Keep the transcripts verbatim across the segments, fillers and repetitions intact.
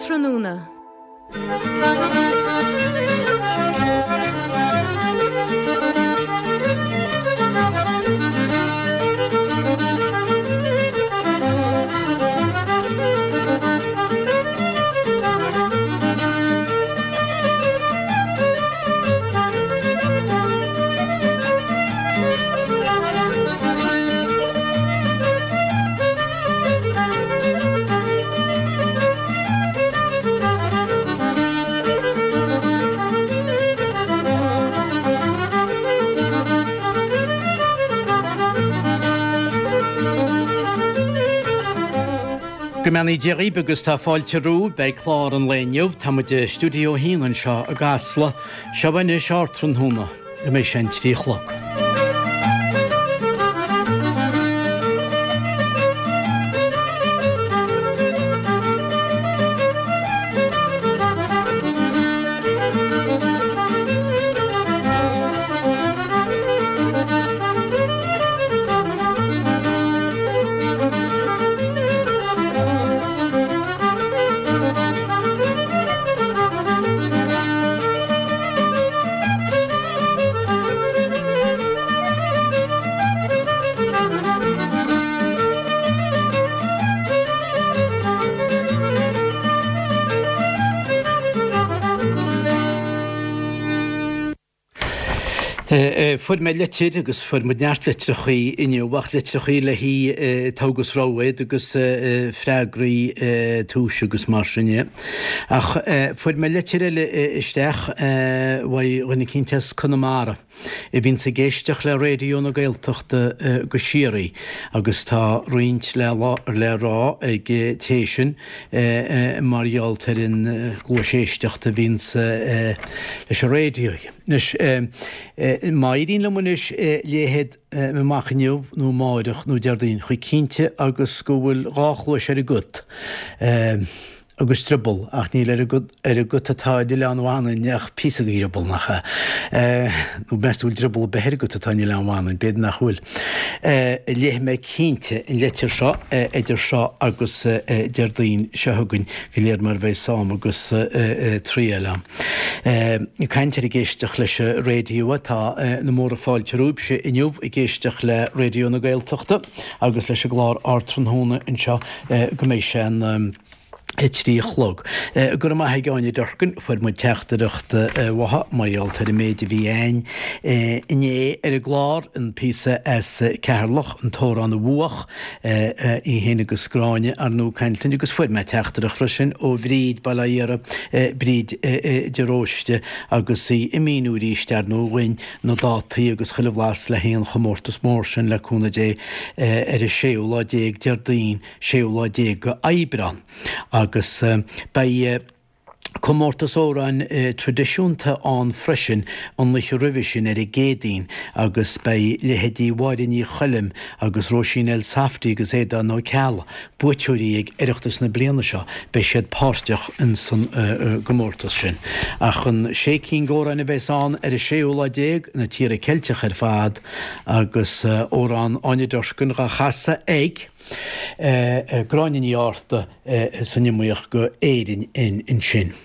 Ardtráthnóna. Go mbeannaí Dia dhaoibh agus tá fáilte romhaibh. Beidh clár an lae inniu. Tá muid i Stiúideo a haon anseo i gCasla. Seo anois Ardtráthnóna go mbeidh sé an trí a chlog. Fuair mé litir agus fuair muid neart litreachaí inniu ach litreachaí le haghaidh togha agus rogha iad agus freagraí túis agus mar sin de. Ach fuair mé litir eile isteach uaidh dhuine eicínt as Conamara a bhíonns ag éisteacht le Raidió na Gaeltachta go síoraí agus tá roinnt le le rá ag té sin mar gheall ar an gcluais éisteachta a bhíonns leis an raidió. Anois, má éiríonn liom anois léifead amach inniu nó amáireach nó Déardaoin, chomh cinnte agus go bhfuil dhá chluais ar an gcut agus drioball, ach níl ar an ar an gcut atá in Oileán Mhanainn ach píosa de dhrioball, nach ea? Nó meas tú bhfuil drioball ar bith ar an gcut atá in Oileán Mhanainn? B'fhéidir nach bhfuil. Léifidh mé cinnte an litir seo idir seo agus Déardaoin seo chugainn, de réir mar a bheidh am agus triail ann. Ag caint ar ag éisteacht leis an raidió, tá na móra fáilte romhaibhse inniu ag éisteacht le Raidió na Gaeltachta agus leis an gclár Ardtráthnóna anseo go mbeidh sé an a trí a chlog. Go raibh maith ag Áine Durkin, fuair muid teachtaireacht uaithi mar gheall ar an méid a bhí a'inn inné ar an gclár, an píosa as Ceatharlach, an t-amhrán a bhuach, í féin agus Gráinne ar ndóigh ag caint linn agus fuair mé teachtaireacht freisin ó Bhríd, Baile Átha Iara, Bríd de Róiste agus í ag míniú arís ar ndóigh dhuinn na dátaí agus chuile bhlas le haghaidh an chomórtas mór sin le cúnamh Dé ar an séú lá déag Déardaoin, séú lá déag go Aibreán. Agus beidh comórtas amhráin traidisiúnta ann freisin an oíche roimhe sin ar an gCéadaoin agus beidh leithéidí Mháire Ní Choilm agus Róisín Elsafty agus Aodán Ó Ceallaigh, buaiteoirí ag Oireachtas na bliana seo, beidh siad páirteach ins an gcomórtas sin. Ach an sé cinn d'amhráin a bheas ann ar an séú lá déag, na tíortha Ceilteacha ar fad agus amhrán Áine Durkin dhá chasadh ag. Gráinne Ní Fhátharta san iomaíocht go Éirinn ansin.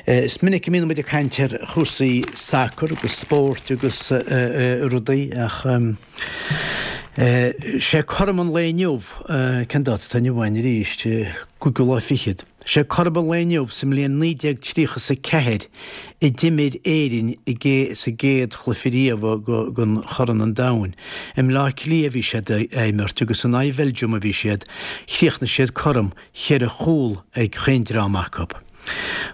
Is minic a mbíonn muid ag caint ar chúrsaí sacair agus spóirt agus rudaí ach sé cothrom an lae inniu, cén dáta atá inniu ann arís, cúigiú lá fichead, sé cothrom an lae inniu sa mbliain naoi déag tríocha is a ceathair a d'imir Éirinn sa gcéad chluiche riamh den Chorn an Domhain. I mBleá Cliath a bhí siad ag imirt agus in aghaidh Bheilgium a bhí siad. Chríochnaigh siad cothrom, cheithre chúl ag chaon dream acu.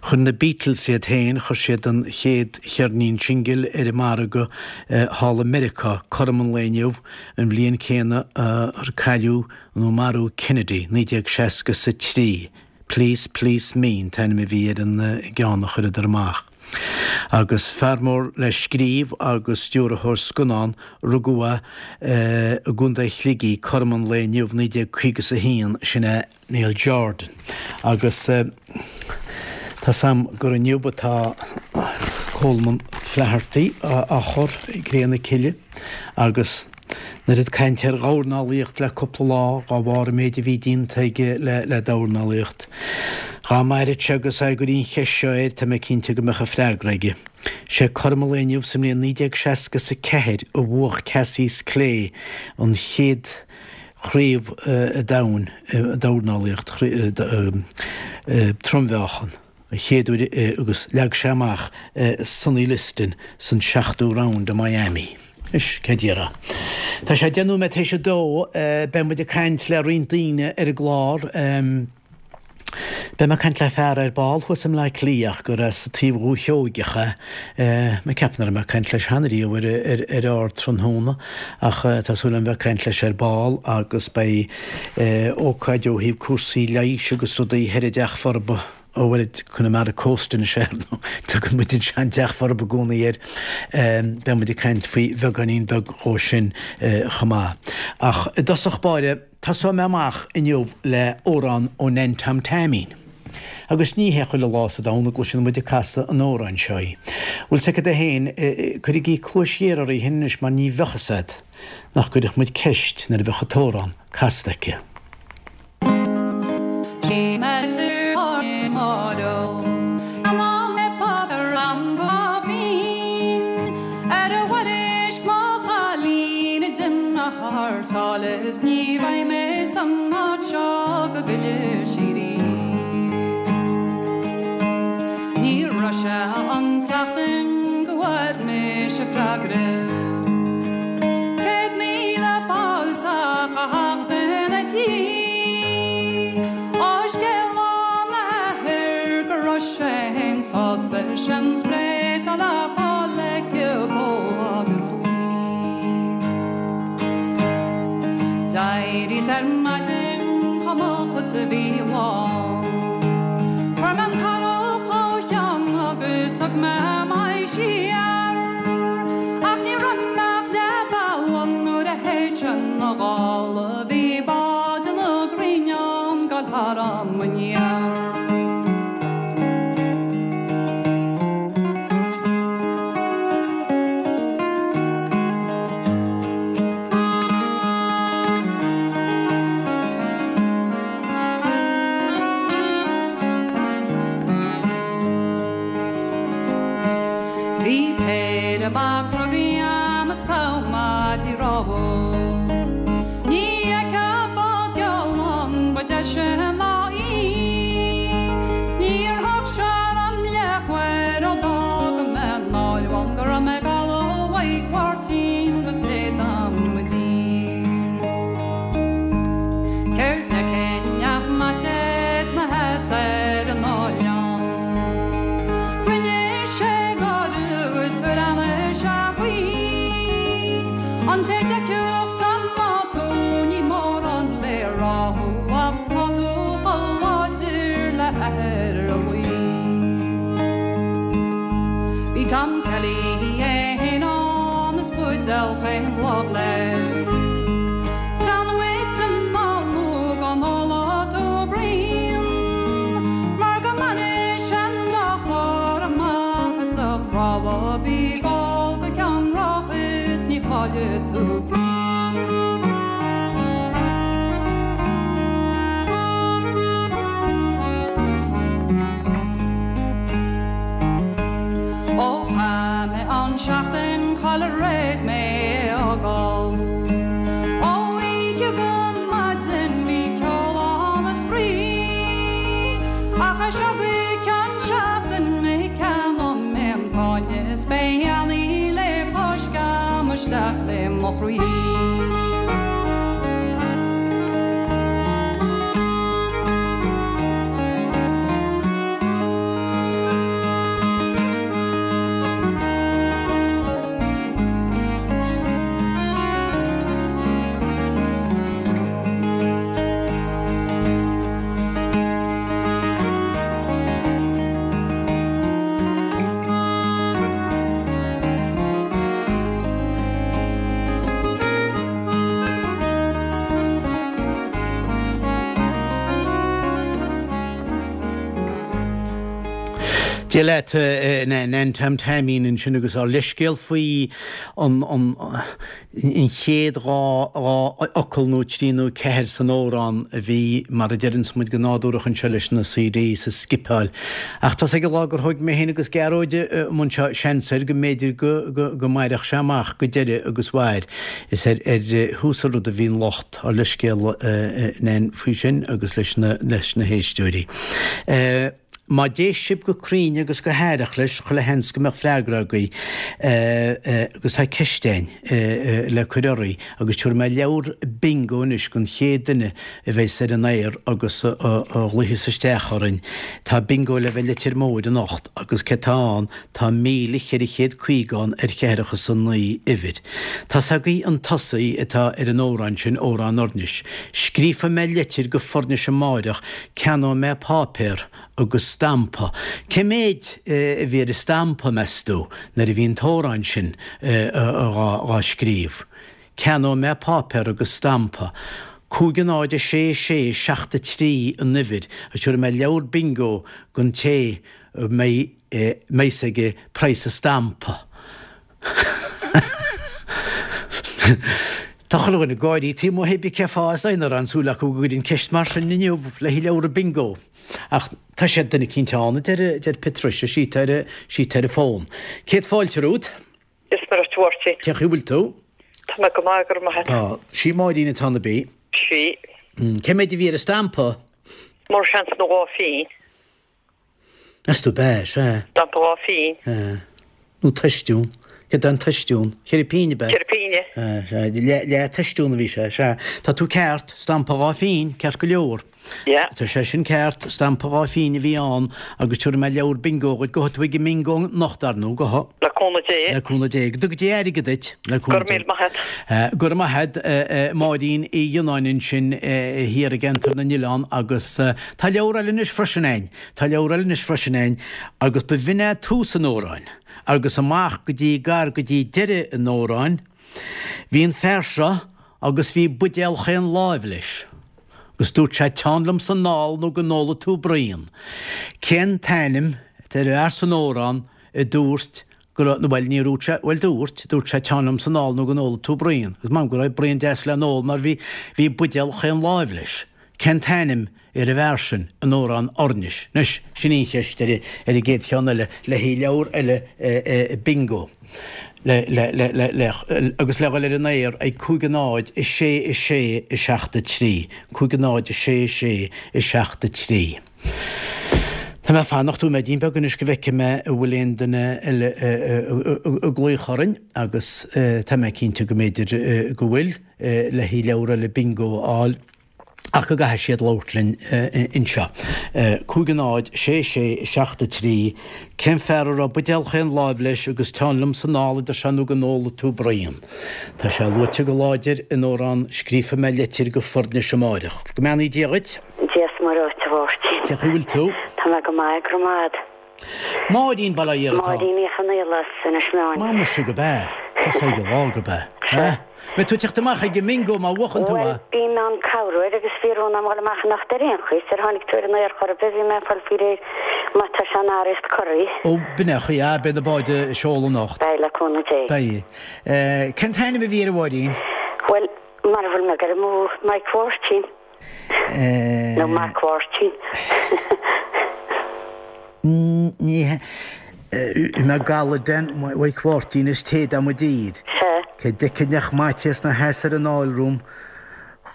Chuir na Beatles iad féin, chuir siad an chéad cheirnín singil ar an margadh thall i Meiriceá cothrom an lae inniu, an bhliain céanna ar cailleadh nó marú Kennedy, naoi déag seasca is a trí. Please Please Me an t-ainm a bhí ar an gceann a chuireadar amach. Agus fear mór le scríobh agus stiúrthóir scannán, rugadh é i gContae Shligigh cothrom an lae inniu, naoi déag caoga is a haon, sin é Neil Jordan. Agus tá's a'm gur inniu atá Colman Flaherty á chur i gcré na cille agus An oiread cainte ar dhornálaíocht le cúpla lá, dhá bharr an méid a bhí déanta aige le dornálaíocht. Dhá maireadh sé agus é go dtí an cheist seo air, tá mé cinnte go mbeadh a freagra aige. Sé cothrom an lae inniu sa mbliain naoi déag seasca is a ceathair a bhuach Cassius Clay an chéad chraobh domhain dornálaíocht trom-mheáchan, an chéad uair agus leag sé amach Sonny Liston san seachtú round i Miami. Is céard a déarfá. Tá sé deich nóiméad théis a dó, beidh muid ag caint le roinnt daoine ar an gclár. Beidh mé ag caint le fear ar ball thuas i mBleá Cliath ach gur as taobh Dhúiche Sheoigeach é. Mé ag ceapadh nach raibh mé ag caint leis cheana riamh ar ar Ardtráthnóna ach tá súil agam bheith ag caint leis ar ball agus beidh ócáid ó thaobh cúrsaí leighis agus rudaí thoir i dTeach Forba, ó bhuel Connemara Coast anois é ar ndóigh, tugann muid an sean-Teach Forba i gcónaí air. Beidh muid ag caint faoi bheagáinín beag dhó sin chomh maith. Ach i dtosach báire, Tosóidh mé amach inniu le amhrán ó Nan Tom Taimín. Agus ní hé chuile lá sa domhan a gcloiseann muid ag casadh an amhráin seo í. Bhfuil 's agat é féin, cuirigí cluais ghéar oraibh féin anois mar ní bheadh fhios a'd nach gcuirfeadh muid ceist nuair a bheadh an t-amhrán casta aici. Thar sáile is ní bheidh mé san áit seo go bhfille sí riamh. Ní raibh sé an tseachtain go bhfuair mise freagra. Céad míle fáilte a theacht ina tí. Á scéal óna athair go raibh sé fhéin sásta sin spréit a le fáil aici dhó agus uaidh. D'éiríos ar maidin chomh moch is a bhí an lá. Chuir mé an carrach ó cheann agus thug mé m'aghaidh siar. Ach ní raibh mé ach leath bealaigh nuair a shéid sé na gála. Bhí bád ina grinnán ag gabháil tharam aniar. Bhí péire maith clogaí a'm is togha maidí rámha. Ní fheicfeá bád geal ann ba deise ná í. 'S níor thóg sé orm leathuair ó d'fhága mé an Oileán go raibh mé ag gabháil ó Mhaigh Cuirtín go State am i dtír. Céard d'fheicfinn ach Mattie 'sna sheasamh ar an oileán. Rinne sé gáire agus bhreathnaigh sé faoi. An té d'fheicfeadh san mbád thú ní mórán le rá thú ach tá tú chomh láidir le athair a luí. Bhí Tom Kelly é fhéin ann is buidéal chaon lámh leis. Teann uait anall nó go n-óla tú braon, mar go mbainfidh sé an dá chlár amach as do chnámha, bí ag ól go ceannrach is ní chaillfidh tú pingin. Ó chaith mé an seachtain chalar fhéad mé é fhágáil. Ó oíche go maidin bhí ceol ann is spraoi. Ach as seo go ceann seachtain mé ceannóidh mé an fáinne is beidh Annie le coiscéim isteach le mo chroí. Dia leat Nan Tom Taimín ansin agus ár leithscéal faoi an an chéad dhá fhocal nó trí nó ceathair san amhrán a bhí mar a deireanns muid go nádúrach anseo leis na CDs a scipeáil. Ach tá ag an lá gur thóg mé féin agus Gearóid amuigh anseo seans air go mb'fhéidir go go mairfeadh sé amach go deireadh agus mhair. Is ar ar thús an rud a bhí an locht ár leithscéal Nan faoi sin agus leis na leis na héisteoirí. Má d'éist sibh go cruinn agus go haireach leis, chuile sheans go mbeadh freagra agaibh agus tá ceist againn le cur oraibh agus tabharfaidh mé leabhar bingo anois don chéad duine a bheas ar an aer agus a ghlaofas isteach orainn. Tá bingo le bheith Leitir Móir anocht agus cé tá ann, tá míle cheithre chéad caoga ann ar cheathracha is a naoi uimhir. Tá's agaibh an tosaí atá ar an amhrán sin, Amhrán Fhoirnis. Scríobfaidh mé leitir go Foirnis amáireach, ceannóidh mé páipéar agus stampa. Cé méid a bhí ar an stampa, meas tú, nuair a bhí an t-amhrán sin dhá scríobh? Ceannóidh mé páipéar agus stampa. Cúig a náid a sé sé seacht a trí an uimhir agus tabharfaidh mé leabhar bingo don té a mbeidh fhios aige praghas an stampa. Tá chuile dhuine ag gáirí taobh amuigh pé bith cé fáth is dóigh nach raibh aon súil acu go gcuirfinn ceist mar sin inniu le haghaidh leabhar bingo. Ach tá sé duine eicínt ann, a deir deir Patricia, sí atá ar sí atá ar an bhfón. Céad fáilte romhat. Dia 's Muire dhuit a Mháirtín. Cén chaoi a bhfuil tú? Tá mé go maith, go raibh maith agat. Tá. Sí Máirín atá ann ab í? Sí. Cé méid a bhí ar an stampa? Mór seans nó dhá phínn. Meas tú ab ea, sea. Stampa dhá phínn. Sea. Nó toistiún. Céard é an toistiún? Ceithre pínne ab ea? Ceithre pínne. Sea, sea. Leath toistiún a bhí sé, sea. Tá tú ceart, stampa dhá phínn, ceart go leor. Yeah. Tá sé sin ceart, stampa dhá phínn a bhí ann agus tabharfaidh mé leabhar bingo dhuit. Gabhfaidh tú ag an mbingo anocht, ar ndóigh, gabhfaidh. Le cúnamh Dé. Le cúnamh Dé. Go dtuga Dia airgead duit, le Go cúnamh raibh Dé. míle maith agat. Go raibh maith agat, Máirín Uí Fhionnáin ansin thiar i gCeantar na nOileán agus tá leabhar eile anois freisin a'inn, tá leabhar eile anois freisin a'inn agus ba bhinn é tús an amhráin agus amach go dtí gar go dtí deireadh an amhráin. Bhí an fear seo agus bhí buidéal chaon láimh leis agus dúirt sé teann liomsa anall nó go n-ólfaidh tú braon. Cén t-ainm atá ar an bhfear san amhrán a dúirt go raibh, nó bhuel níor dhúirt sé, bhuel dúirt, dúirt sé teann liomsa anall nó go n-ólfaidh tú braon. Agus m'anam go raibh braon deas le n-ól mar bhí, bhí buidéal chaon láimh leis. Cén t-ainm ar an bhfear sin in amhrán Fhoirnis? Anois, sin í an cheist ar an gcéad cheann eile le haghaidh leabhar eile bingo. Le, le, le, le, le, agus le dhul ar an aer ag cúig a náid, a sé, a sé, a seacht a trí. Cúig a náid, a sé, a sé, a seacht a trí. Tá mé ag fanacht nóiméidín beag anois go bhfeicfidh mé an bhfuil aon duine eile ag glaoch orainn agus tá mé cinnte go mb'fhéidir go bhfuil le haghaidh leabhar eile bingo a fháil ach go gcaithfidh siad labhairt linn anseo. Cúig a náid, sé sé, seacht a trí, Cén fear a raibh buidéal chaon láimh leis agus teann liomsa anall a deir sé nó go n-ólfaidh tú braon. Tá sé luaite go láidir in amhrán Scríobfaidh mé leitir go Foirnis amáireach. Go mbeannaí Dia dhuit. Dia 's Muire dhuit a Mháirtín. Cén chaoi a bhfuil tú? Tá mé go maith, go raibh maith agat. Máirín, Baile Átha atá. Máirín Ní Chonaola as Inis Meáin. Muise gurb ea. Tá ag an lá gurb ea. Sea. Beidh tú ag teacht amach ag an mbingo má bhuachann tú Bhuel, é. bím in ann cabhrú air agus bhí rún agam dhul amach anocht ar aon chaoi, sar tháinig tú ar an aer chor ar bith, bhí mé ag fáil faoi réir má tá sé in araíocht corraí. Ó, b'in é an chaoi, ah, beidh na báid ag seoladh anocht. Beidh, le cúnamh Dé. Beidh. Cén t-ainm a bhí air a Mháirín? Bhuel, mara bhfuil mé ag dul amú, Mike Mháirtín. Nó Mac Mháirtín. Ní mé gala den Mhaidhc Mháirtín is téad am i dtír. Sea. Cé d'fheicfinn nach Maitias 'na sheasamh ar an fhál romham,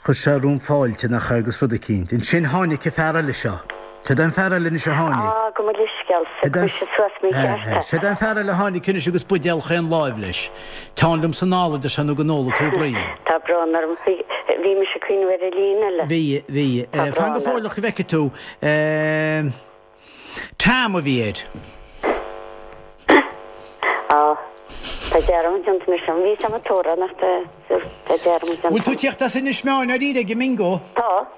chuir sé romham fáilte, nach ea, agus rud eicínt. Ansin tháinig an fear eile seo. Cad é an fear eile anois a tháinig? Á, gabh mo leithscéal, Cad é an cuir suas mícheart é. Cad é an fear eile a tháinig anois agus buidéal chaon láimh leis. Teann liomsa anall a deir sé nó go n-ólfaidh tú braon. Tá brón orm, bhí mise ag cuimhneamh ar an líne eile. Bhí, bhí. Tá Fan go brón orm. fóilleach go bhfeicfidh tú. Tam a bhí air. Á, tá dearmad déanta anois orm. Bhí Sam ag tóra nach tá dearmad déanta. Bhfuil tú ag tíocht as Inis Meáin dáiríre ag an mbingo? Tá.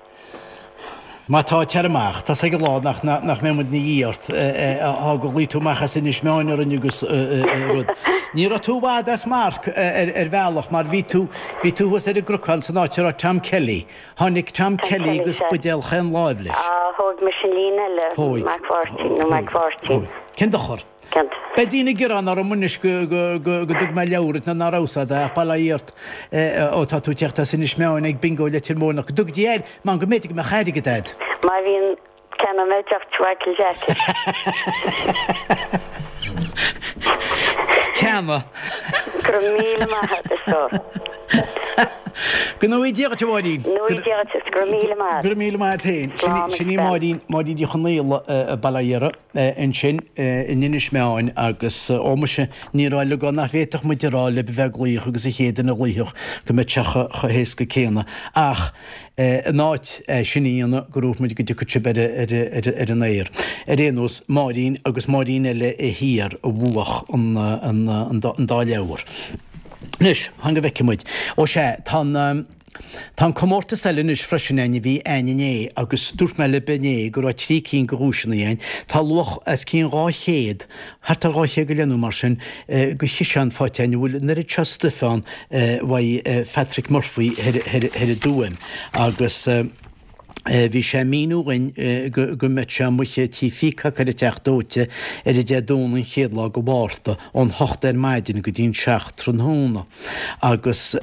Má tá tar amach, tá ag lá nach nach mbeidh muid ina dhiaidh ort á go ghlaoigh tú amach as Inis Meáin orainn agus rud. Ní raibh tú i bhfad as marc ar bhealach mar bhí tú bhí tú thuas ar an gcnocán san áit a raibh Tom Kelly. Tháinig Tom Kelly agus buidéal chaon láimh leis. Á, thóg mise an líne eile, Mac Mháirtín nó Mac Mháirtín. Cén dochar? Beidh daoine ag gearán orm anois go dtug mé leabhar duit ná nach rabhas ach bail ó Dhia ort ó tá tú ag teacht as Inis Meáin ag Bingo Leitir Móir nach dtug Dia air mar go mb'fhéidir go mbeadh airgead a'd. Má bhíonn ceannóidh mé deoch Mhichael Jackie. Ceannaigh. Go raibh míle maith agat a stór. Go ngnóthaí Dia dhuit a Mháirín. Go ngnóthaí Dia dhuit agus go raibh míle maith agat. Go raibh míle maith agat féin. Sin í Máirín, Máirín Ní Chonaola, Baile Átha Dheara ansin in Inis Meáin agus ó muise ní raibh le go nach bhféadfadh muid a rá libh a bheith ag glaoch agus an chéad duine a ghlaoifeadh go mbeadh sé chomh héasca céanna ach in áit é sin a dhéanamh go raibh muid go dtiocfadh sibh ar an aer. Ar aon nós, Máirín agus Máirín eile thiar a bhuach an dá leabhar. Anois, fan go bhfeicfidh muid. Ó sea, tá an, tá an comórtas eile anois freisin a'inn a bhí a'inn inné agus dúirt mé libh inné go raibh trí cinn de dhuaiseanna a'inn. Tá luach os cionn dhá chéad, thart ar dhá chéad go leith nó mar sin, de chiseán faighte a'inn a bhfuil an oiread seo stuif ann uaidh Phatrick Murphy thoir, thoir, thoir i dTuaim agus. Bhí sé ag míniú dhuinn go mbeadh sé amuigh tí Peacock ar an Teach Dóite ar an Dé Domhnaigh an chéad lá de Mhárta ón hocht ar maidin go dtí an seacht tráthnóna agus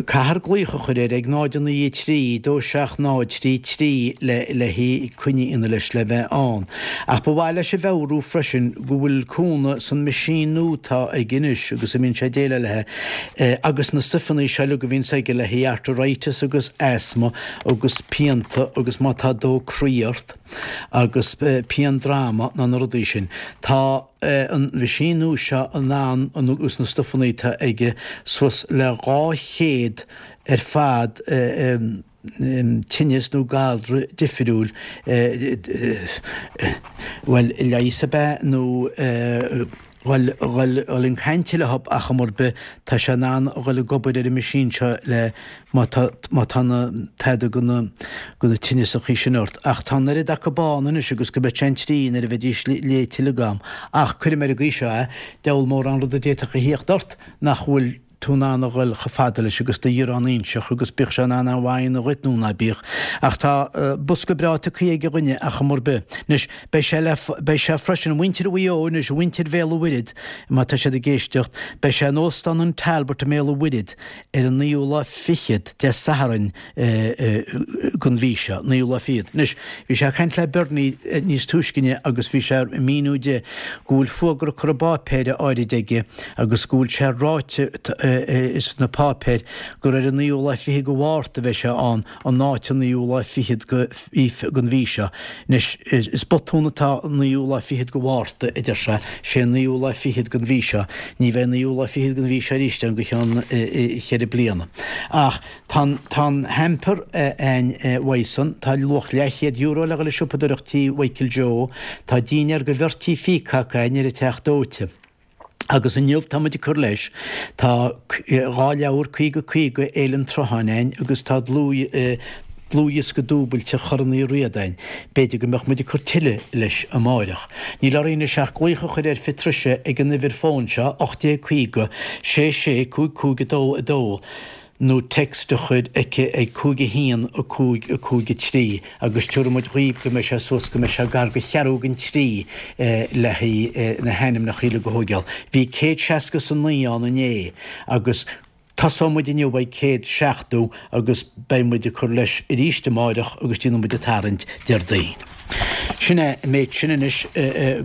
caithfear glaoch a chur air ag náid a naoi a trí dó seacht náid trí trí le le haghaidh coinne a dhéanamh leis le bheith ann. Ach ba mhaith leis a mheabhrú freisin go bhfuil cúnamh san meaisín nua atá aige anois agus a mbíonn sé ag déileáil léi agus na stuifeanna seo uilig a bhíonns aige le haghaidh arthritis agus asthma agus pianta agus má tá dó croí ort agus pian droma ná na rudaí sin. Tá an mheaisín nua seo in ann agus na stuifeanna atá aige suas le dhá chéad ar fad tinneas nó galra difriúil, bhuel, leigheas ab ea nó dhul dhul chun cainte leo ach am ar bith tá sé in ann a dhul ag obair ar an meaisín seo le má tá má tá na tada de na de na tinneasachaí sin ort. Ach tá an oiread acu ann anois agus go mbeadh sé an trí nuair a bheidís léite uilig agam. Ach cuirim ar an gcaoi seo é, deabhal mórán rud a d'fhéadfadh a thíocht ort nach bhfuil tú in ann a dhul chomh fada leis agus do ghiorrán inseach agus bíodh sé in ann a mhaith a dhuit nó ná bíodh. Ach tá bosca breá tugtha ag an dhuine ach am ar bith. Anois, beidh sé le, beidh sé freisin, muintir Mhaigh Eo anois, muintir Bhéal an Mhuirthead, má tá siad ag éisteacht, beidh sé in Óstán an Talbot i mBéal an Mhuirthead ar an naoú lá fichead, Dé Sathairn den mhí seo, naoú lá fichead. Anois, bhí sé ag caint le Bernie níos túisce inniu agus bhí sé ag míniú di go bhfuil fuagra curtha i bpáipéir áirid aige agus go bhfuil sé ráite sna páipéir gur ar an naoú lá fichead de Mhárta a bheidh sé ann, in áit an naoú lá fichead den mhí seo. Anois, is botún atá an naoú lá fichead de Mhárta, a deir sé, sé an naoú lá fichead den mhí seo. Ní bheidh an naoú lá fichead den mhí seo arís ann go ceann cheithre bliana. Ach tá an, tá an hamper a'inn uaidh san, tá luach leathchéad euro le dhul ag siopadóireacht tí Mhichael Joe, tá dinnéar do bheirt tí Peacock a'inn ar an Teach Dóite. Agus inniu tá muid ag cur leis, tá dhá leabhar caoga caoga Fhéile an tSrutháin a'inn agus tá dlúthdhiosca dúbailte Chorn Uí Riada a'inn. B'fhéidir go mbeadh muid ag cur tuilleadh leis amáireach. Níl orainn anois ach glaoch a chur ar Phatricia ag an uimhir fóin seo, ocht déag caoga, sé sé, cúig cúig a dó a dó. nó text a chur aici ag cúig a haon a cúig a cúig a trí agus tabharfaidh muid dhaoibh go mbeidh sé suas go mbeidh sé gar go cheathrú don trí le haghaidh na hainmneacha uilig a thóigeáil. Bhí céad seasca is a naoi ann inné agus tosóidh muid inniu ag céad seachtó agus beidh muid ag cur leis arís amáireach agus déanfaidh muid an tarraingt Déardaoin. Sin é an méid sin anois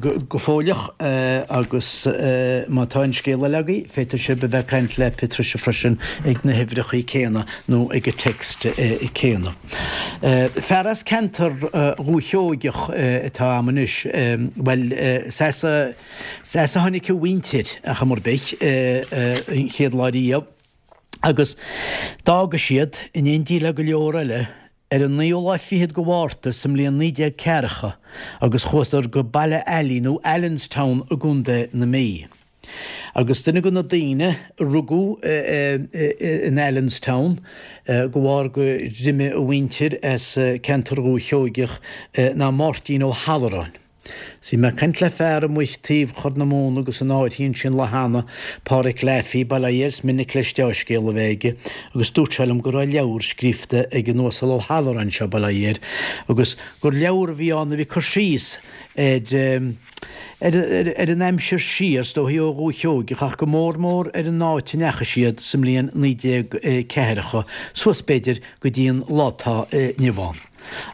go fóilleach agus má tá aon scéal eile agaibh, féadfaidh sibh a bheith ag caint le Patricia freisin ag na huimhreacha céanna nó ag an text céanna. Fear as ceantar Dhúiche Sheoigeach atá a'm anois, bhuel, is as a tháinig a mhuintir ach am ar bith, an chéad lá riamh agus d'fhága siad, in éindí le go leor eile, Ar an naoú lá fichead de Mhárta sa mbliain naoi déag ceathracha agus chuadar go Baile Ailí nó Allenstown i gContae na Mí. Agus duine de na daoine a rugadh in Allenstown de bharr gur imigh a mhuintir as ceantar Dhúiche Sheoigeach ná Máirtín Ó hAlluráin. Bhí mé ag caint le fear amuigh taobh Chorr na Móna agus an áirthín sin lá cheana, Páraic Laffey, bail ó Dhia air, is minic leis deá-scéal a bheith aige, agus dúirt sé liom go raibh leabhar scríofa ag an Uasal Ó hAlluráin seo, bail ó Dhia air, agus gur leabhar a bhí ann a bhí cur síos ar ar an aimsir siar, is dóichí ó Dhúiche Sheoigeach, ach go mór mór ar an áit a ndeachaigh siad sa mbliain naoi déag ceathracha, suas b'fhéidir go dtí an lá atá inniu ann.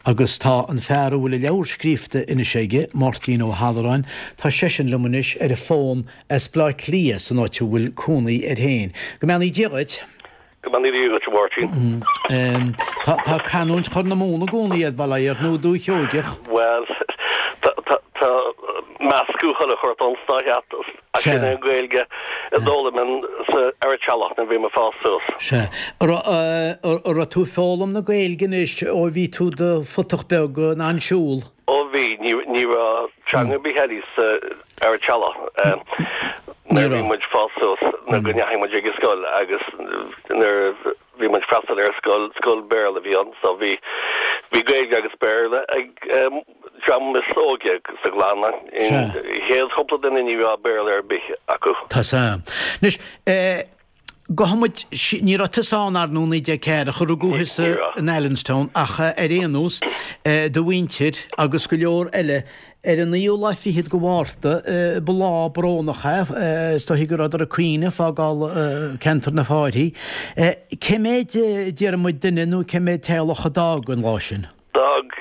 Agus tá an fear a bhfuil a leabhar scríofa anois aige, Máirtín Ó hAlluráin, tá seisean liom anois ar an bhfón as Baile Átha Cliath, san áit a bhfuil cónaí air féin. Go mbeannaí Dia dhuit! Go mbeannaí Dia dhuit, a Mháirtín. Tá tá canúint Chorr na Móna i gcónaí ort, bail ó Dhia ort, nó Dúiche Sheoigeach? Bhuel, tá tá tá meascadh chuile shórt ann sna ach sin é an Ghaeilge a d'fhoghlaim mé sa ar an teallach nuair a bhí mé ag fás suas. Sea. An raibh tú ag foghlaim na Gaeilge anois ó bhí tú i do phutach beag in ann siúl? Ó bhí, ní ní raibh teanga ar bith eile sa ar an teallach nuair a bhí muid ag fás suas nuair go ndeachaigh muid ag an scoil agus nuair a bhí muid freastal ar scoil, scoil Béarla a bhí ann so bhí bhí Gaeilge agus Béarla ag dream is óige sa gclann. An chéad chúpla duine ní raibh Béarla ar bith acu. Tá sam. Anois, gabhfaidh muid, ní raibh tusa ann ar ndóigh naoi déag ceathracha, rugadh thusa in Allenstown ach ar aon nós, do mhuintir agus go leor eile, ar an naoú lá fichead de Mhárta, ba lá brónach é, is dóichí go rabhadar ag caoineadh, fágáil ceantar na Fáirthí. Cé mhéad, déarfaidh muid, duine nó cé mhéad teaghlach a d'fhág an lá sin? D'fhág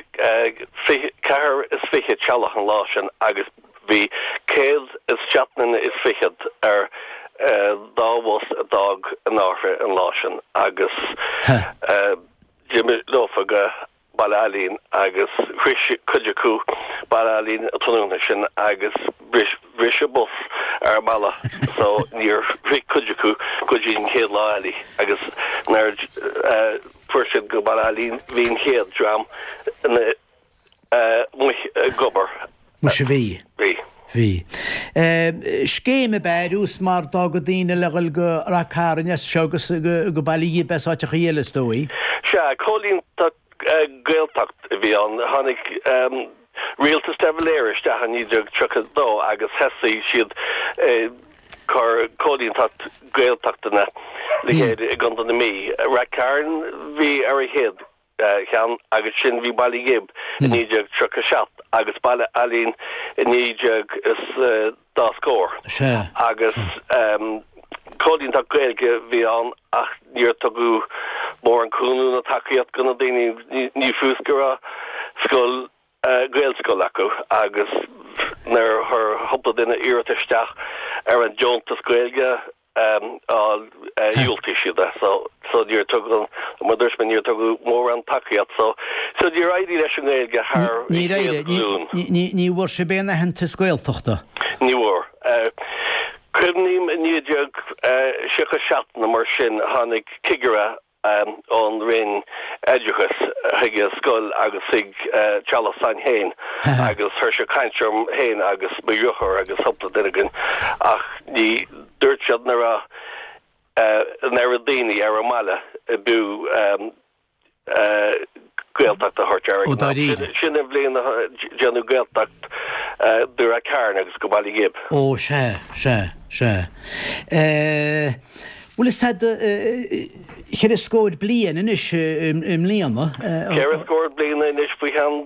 ceathair is fiche teaghlach an lá sin agus bhí céad is seacht nduine is fichead ar dá bhus a d'fhág an Fhairche an lá sin agus d'imigh leofa go Baile Ailín agus shroich cuid acu Baile Ailín an tráthnóna sin agus bhris an bus ar an mbealach so níor shroich cuid acu go dtí an chéad lá eile agus nuair a fuair siad go Baile Ailín bhí an chéad dream ina amuigh ag obair. Muise bhí. Bhí. Bhí. Scéim ab ea ar dtús mar d'fhágadh daoine le dhul go Rath Cairn as seo agus go Baile Ghib as áiteachaí eile is dóigh. Sea, cóilínteacht Gaeltacht a bhí ann. Tháinig rialtas de Valera isteach i naoi déag tríocha a dó agus thosaigh siad ag cur cóilínteacht Gaeltachtanna le chéile i gContae na Mí. Rath Cairn bhí ar an chéad cheann agus sin bhí Baile Ghib i naoi déag tríocha a seacht agus Baile Ailín i naoi déag is dá scór. Agus cóilínteacht Gaeilge bhí ann ach níor tugadh mórán cúnamh ná tacaíocht do na daoine, ní fios go raibh scoil Gaelscoil acu agus nuair a chuir cúpla duine iarratas isteach ar an deontas Gaeilge a dhiúltaigh siad é so so níor tugadh mar dúirt mé níor tugadh mórán tacaíocht so so níor éirigh leis an nGaeilge thar an Níor chéad éirigh, ghlúin. ní ní ní bhfuair sibh aon aitheantas Gaeltachta? Ní bhfuair. Cuimhním i naoi déag tríocha seacht nó mar sin tháinig cigire ón Roinn Oideachais chuig an scoil agus chuig teaghlach s'againn féin agus chuir sé caint orm féin agus mo dheartháir agus cúpla duine againn ach ní dúirt siad nach raibh an oiread daoine ar an mbaile a b'fhiú Gaeltacht a thabhairt air Ó ag an am. dáiríre. Sin an bhliain a déanadh Gaeltacht de Rath Cairn agus go Baile Ghib. Ó sea, sea, sea. Bhuel is ea ceithre scór bliain anois i mbliana. Ceithre scór bliain anois faoi cheann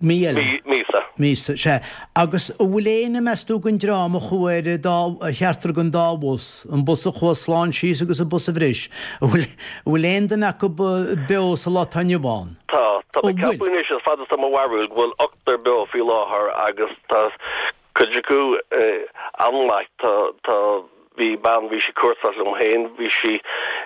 mí eile. Míosa. Míosa, sea. Agus an bhfuil éinne, meas tú, den dream a chuaigh ar an dá, cheachtar den dá bhus, an bus a chuaigh slán síos agus an bus a bhris, an bhfuil, an bhfuil aon duine acu beo sa lá atá inniu ann? Tá. Tá mé An ag bhfuil? ceapadh anois, is fada is tá mo bharúil, go bhfuil ochtar beo faoi láthair agus tá cuid acu an-mhaith. Tá, tá. Bhí bean, bhí sí cúrsa liom féin, bhí sí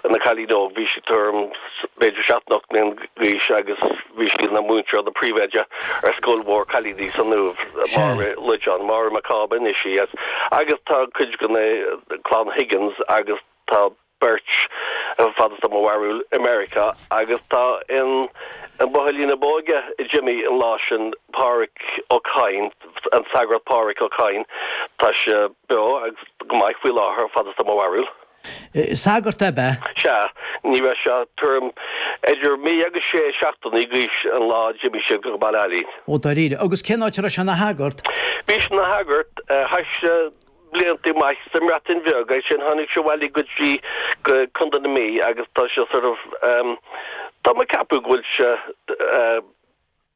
ina cailín óg, bhí sí tuairim b'fhéidir seacht nó ocht mbliana d'aois agus bhí sí ina múinteoir, ina príomhoide ar scoil mhór cailíní san Uaimh, Máire Loideáin, Máire Mac Cába anois í, agus tá cuid de na clann Higgins agus tá beirt, fad is tá mo bharúil, i Meiriceá agus tá in An buachaillín ab óige a d'imigh an lá sin, Pádhraic Ó Cadhain, an Sagart Pádhraic Ó Cadhain, tá sé beo agus go maith faoi láthair, fad is atá mo bharúil. Sagart ab ea? Sea, ní raibh sé tuairim idir mí agus sé seachtainí d'aois an lá a d'imigh siad go Baile Ailín. Ó dáiríre. Agus cén áit a raibh sé ina shagart? Bhí sé ina shagart, chaith sé blianta maith sa mBreatain Bheag, ansin tháinig sé abhaile go dtí go Contae na Mí agus tá sé sort of, tá mé ag ceapadh go bhfuil sé,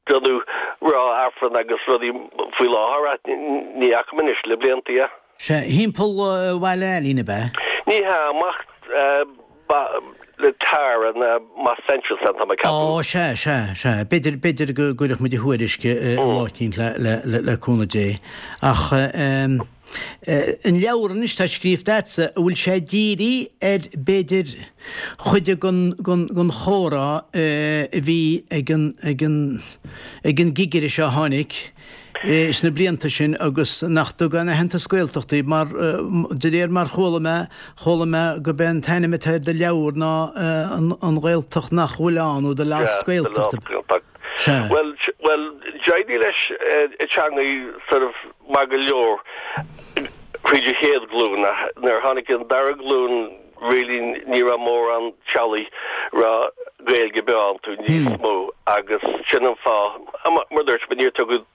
déanamh rá Aifreann agus rudaí faoi láthair ach ní fhaca mé anois le blianta é. Sea, thimpeall Bhaile Ailín ab ea? Ní hea, amach le Tara ná amach Central tá mé ag ceapadh. Ó, sea, sea, sea. B'fhéidir, b'fhéidir go gcuirfeadh muid a thuairisc lá eicínt le, le, le, le cúnamh Dé. Ach an leabhar anois atá scríofa agatsa, an bhfuil sé dírithe ar, b'fhéidir, chuid den chomhrá a bhí ag an, ag an, ag an gcigire seo a tháinig sna blianta sin agus nach dtug aon aitheantas Gaeltachta mar, de réir mar chuala mé, chuala mé gurb é an t-ainm atá ar do leabhar ná An Ghaeltacht Nach Bhfuil Ann nó The Lost Gaeltacht. The Lost Gaeltacht. Sea. Bhuel, bhuel, d'éirigh leis an teangaidh sort of maith go leor thríd an chéad ghlúin ach nuair a tháinig an dara glúin really ní raibh mórán teaghlaigh raibh Gaeilge beo iontu níos mó agus sin an fáth, mar a dúirt mé, níor tugadh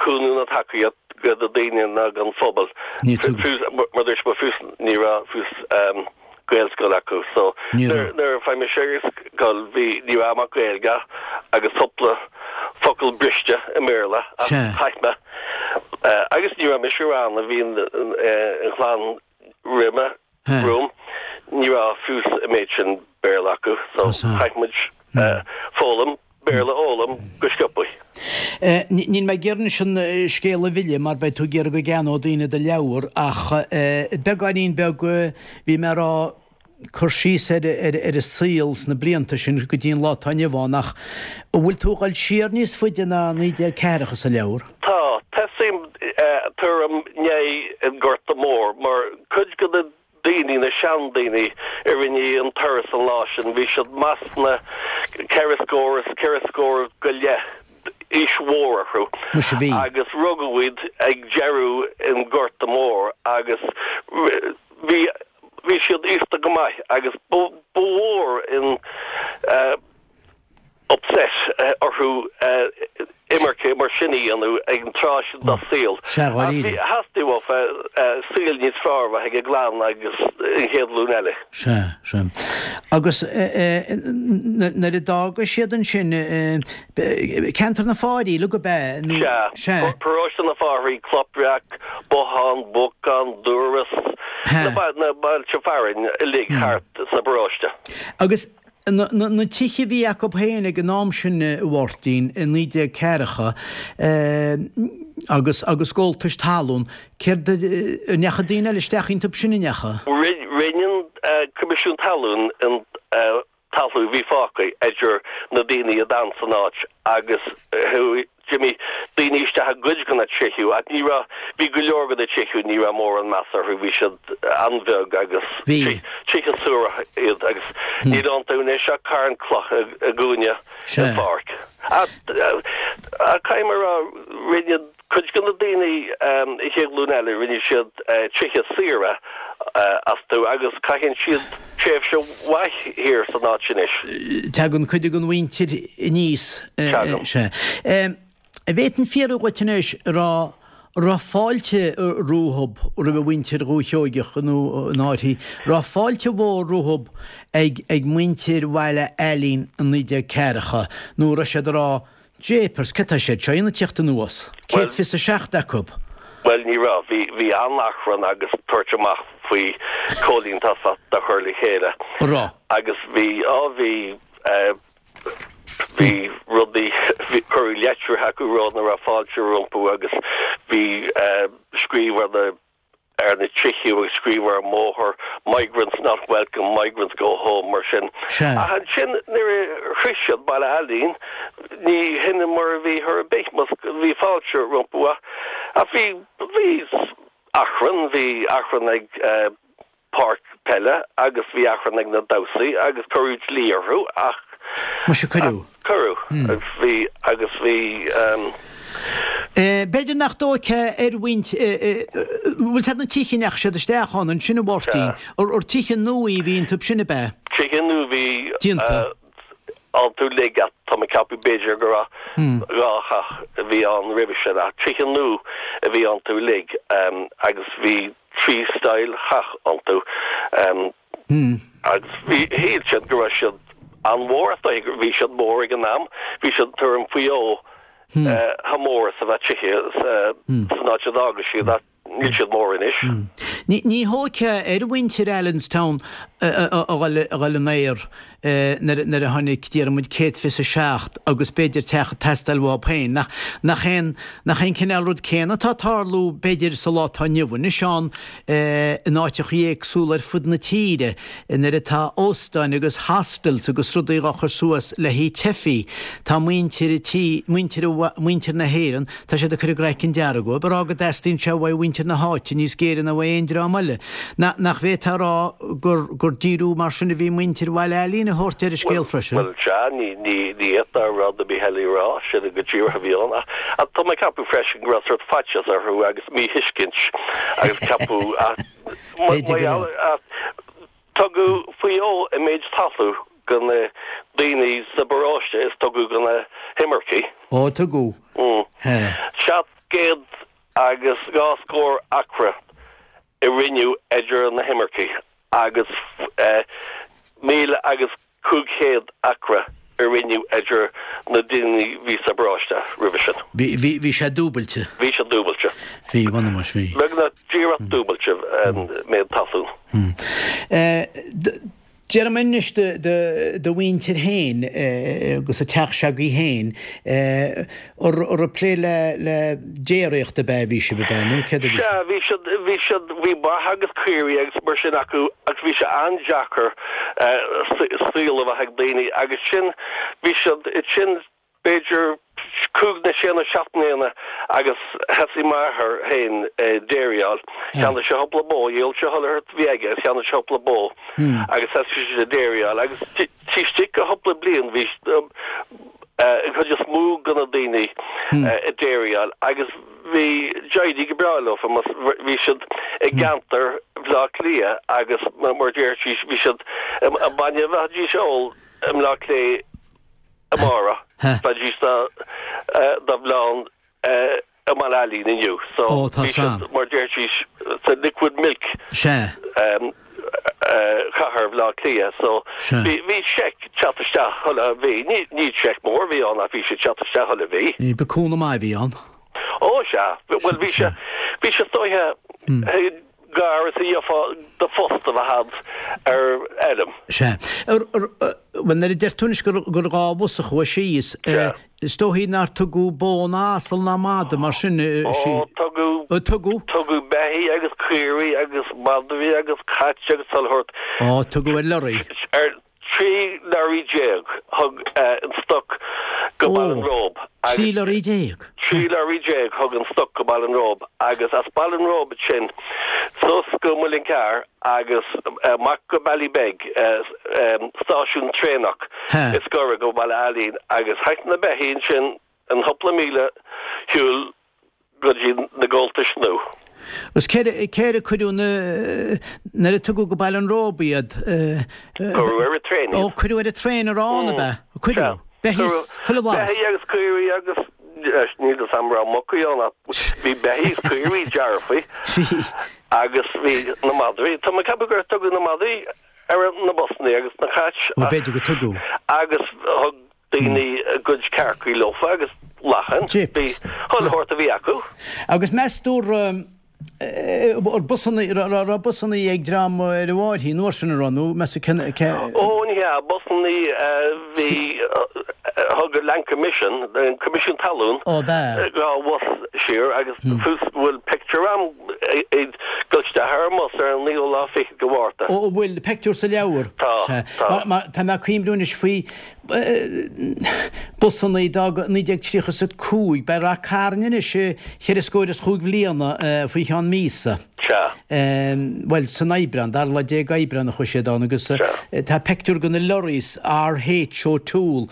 cúnamh ná tacaíocht do na daoine ná don phobal. Níor tugadh. Mar a dúirt mé fiú ní raibh fiú Gaelscoil acu so Ní raibh. nuair a fuair mise ar scoil bhí ní raibh ach Gaeilge agus cúpla focal briste i mBéarla ach Sea. chaith mé agus ní raibh mise ann a bhí an chlann roimhe romham ní raibh fiú an méid sin Béarla acu so Tá chaith muid foghlaim Béarla a fhoghlaim go sciobtha. Níl mé ag iarraidh anois an scéal a mhilleadh mar beidh tú ag iarraidh go gceannódh daoine do leabhar ach beagáinín beag bhí mé ag rá cur síos ar ar an saol sna blianta sin go dtí an lá atá inniu ann ach an bhfuil tú ag dul siar níos faide ná naoi déag ceathracha sa leabhar? Tá, tosaím tuairim i ndiaidh an Gorta Mór mar cuid de na daoine, na seandaoine a rinne an turas an lá sin, bhí siad amach sna ceithre scór is ceithre scór go leith, aois mhór orthu. Muise bhí. Agus rugadh iad ag deireadh an Ghorta Mhóir agus bhí, bhí siad aosta go maith agus ba, ba mhór an upset orthu imirce mar sin a dhéanamh ag an tráth sin dá saol. Sea, dháiríre. Ach bhí, theastaigh uafa saol níos fearr a bheith ag a gclann agus an chéad ghlúin eile. Sea, sea. Agus nuair a d'fhága siad ansin, ceantar na Fáirí uilig ab ea? Nó, Sea. sea. Paróiste na Fáirí, Cloich Bhreac, Bothán, Buacán, Dúras, na bailte fearainn uilig thart sa bparóiste. Agus Na tithe a bhí acu féin ag an am sin, a Mháirtín, i naoi déag ceathracha, agus agus gabháltais talún, céard a, an ndeachaigh daoine eile isteach iontu sin, an ndeachaigh? Rinne an Coimisiún Talún an talamh a bhí fágtha idir na daoine a d'fhan san áit agus chuaigh D'imigh daoine isteach i gcuid de na tithe ach ní raibh, bhí go leor de na tithe, ní raibh mórán meas orthu, bhí siad an-bheag agus Bhí. tithe suarach iad agus níl iontu anois ach carn cloch i gcúinne Sea. den pháirc. Ach caithfidh mé a rá, rinne cuid de na daoine, an chéad ghlúin eile, rinne siad tithe saoire astu agus caitheann siad tréimhse mhaith thiar san áit anois. Tagann cuid den mhuintir aníos. Tagann. Sea. An bhféadfainn fiafraí dhuit anois an raibh raibh fáilte rompu roimh mhuintir Dhúiche Sheoigeach nó in áirithe, raibh fáilte mhór rompu ag ag muintir Bhaile Ailín i naoi déag ceathracha nó raibh siad ag rá Japers, cad tá siad seo a dhéanamh ag tíocht anuas? Céad fiche a seacht acu. Bhuel, ní raibh. Bhí, bhí an-achrann agus tabhairt amach faoi cóilínteacht a chur le chéile. An raibh? Agus bhí, á bhí, eh, bhí rudaí, bhí, cuireadh leitreacha acu ag rá nach raibh fáilte rompu agus bhí, eh, scríobh ar na, ar na tithe agus scríobh ar an mbóthar, 'Migrants not welcome, migrants go home' mar sin. Sea. Ach ansin nuair a shroich siad Baile Ailín, ní hin mar a bhí chor ar bith, mar bhí fáilte rompu ach ach bhí, bhí achrann, bhí achrann ag páirc peile agus bhí achrann ag na damhsaí agus cuireadh dlí orthu ach. Muise cuireadh. Cuireadh. Bhí agus bhí um, B'fhéidir nach dócha ar mhuintir bhfuil siad na tithe nach siad isteach ann ansin a Mháirtín ar tithe nua a bhí iontu sin ab ea. Tithe nua bhí Déanta. iontu uilig tá mé ag ceapadh b'fhéidir go raibh dhá theach a bhí ann roimhe sin ach tithe nua a bhí iontu uilig agus bhí trí style theach iontu agus bhí shíl siad go raibh siad an-mhór bhí siad mór ag an am bhí siad tuairim faoi dhó chomh mór is a bheadh tithe san áit a d'fhága siad ach níl siad mór anois. Ní ní dócha ar mhuintir Allenstown a dhul in aer nuair a tháinig déarfaidh muid céad fiche seacht agus b'fhéidir teach ag teastáil uathu féin. Nach nach aon nach aon cineál rud céanna atá ag tarlú b'fhéidir sa lá atá inniu anois ann in áiteacha éagsúla ar fud na tíre nuair atá óstáin agus hostels agus rudaí á chur suas le haghaidh teifigh. Tá muintir tí muintir muintir na hÉireann tá siad ag cur a gcraiceann dearg ag rá go dteastaíonn sé uaidh mhuintir na háite níos géire ná uaidh aon dream eile. Nach bhféadfá a rá gur gur díriú mar sin a bhí muintir Bhaile Ailín a thabhairt ar an scéal freisin? Bhuel sea, ní ní ní fhéadfá rud ar bith eile a rá, sin go díreach a bhí ann. Ach tá mé ag ceapadh freisin go raibh sórt faitíos orthu agus míthuiscint agus ceapadh ach tugadh faoi dhó an méid talún do na daoine sa bparóiste is tugadh do na himircigh. Ó tugadh. Seacht gcéad agus dhá scór acra a roinneadh idir na himircigh agus míle agus cúig chéad acra a roinneadh idir na daoine bhí sa bparóiste roimhe sin. Bhí bhí bhí sé dúbailte. Bhí sé dúbailte. Bhí bhuel bhí. Beagnach díreach dúbailte an méid talún. Déarfaidh mé anois do mhuintir féin agus an teach s'agaibh féin ar ag plé le le déiríocht ab ea a bhí sibh ab ea nó céard a bhí Sea, bhí siad bhí siad bhí ba agus caoirigh agus mar sin acu agus bhí sé an-deacair saol a bheith ag daoine agus sin bhí siad sin b'fhéidir cúig nó sé nó seacht mbliana agus thosaigh m'athair féin déiríáil. Cheannaigh sé cúpla bó, dhíol sé chuile shórt a bhí aige agus cheannaigh sé cúpla bó agus thosaigh sé déiríáil agus taobh istigh de chúpla bliain bhí an chuid is mó de na daoine ag déiríáil agus bhí d'éirigh go breá leofa mar bhí siad i gceantar Bhaile Átha Cliath agus mar deir sí bhí siad an bainne a bheidís a ól i mBleá Cliath amárach bheidís dá bhleán i mBaile Ailín inniu. So Ó, tá bhí siad san. mar deir sí sa liquid milk Sea. chathair Bhaile Átha Cliath. So Sea. bhí bhí seic teacht isteach chuile mhí. Ní ní seic mór a bhí ann ach bhí sé teacht isteach chuile mhí. Ní ba cúnamh maith a bhí ann. Ó sea, bhuel bhí sé bhí sé is dóiche gar is a gheofá do phost a bheith a'd ar fheirm. Sea. Bhuel nuair a deir tú anois gur gur dhá bhus a chuaigh síos, Sea. is dóichí nár tugadh bó ná asal ná mada mar sin Ó tugadh Ó tugadh? tugadh beithígh agus caoirigh agus madraí agus cait agus chuile shórt. Ó tugadh ar lorry. Ar trí lorry déag thug an stoc go Baile an Róba. Trí lorry déag? Trí lorry déag thug an stoc go Baile an Róba agus as Baile an Róba sin suas go Muileann Cearr agus amach go Ballybeg, stáisiún traenach is gaire go Baile Ailín agus théadh na beithígh ansin an chúpla míle shiúil go dtí na gabháltais nua. Agus cé cé ar cuireadh na nuair a tugadh go Baile an Róba iad? Cuireadh ar an traein Ó iad. cuireadh ar an traein arán ab ea? Cuireadh. Beithígh is chuile bhlas. Beithígh agus caoirigh agus níl fhios a'm raibh mucaí ann ach bhí beithígh is caoirigh dearfaí agus bhí na madraí. Tá mé ag ceapadh gur tugadh na madraí ar na busanna agus na cait Ó b'fhéidir go tugadh. agus thug daoine a gcuid cearcaí leofa agus lachain. Bhí chuile shórt a bhí acu. Agus meas tú ar busanna raibh busanna ag dream ar an Mháirthín uair sin an raibh nó meas tú cé cé Ó ní hea, busanna bhí thug an Land Commission, an Coimisiún Talún, Ó b'ea. dhá bhus siar agus fós bhfuil pictiúr a'm ag dul isteach ar an mbus ar an naoú lá fichead de Mhárta. Ó bhfuil pictiúr sa leabhar? Tá, tá. Mar mar tá mé ag cuimhniú anois faoi busanna d'fhág naoi déag tríocha is a cúig, beidh Ráth Cairn anois cheithre scór is chúig bhliana faoi cheann míosa. Sea. Bhuel, san Aibreán, dara lá déag Aibreán a chuaigh siad ann agus tá peictiúr de na lorries RH O'Toole,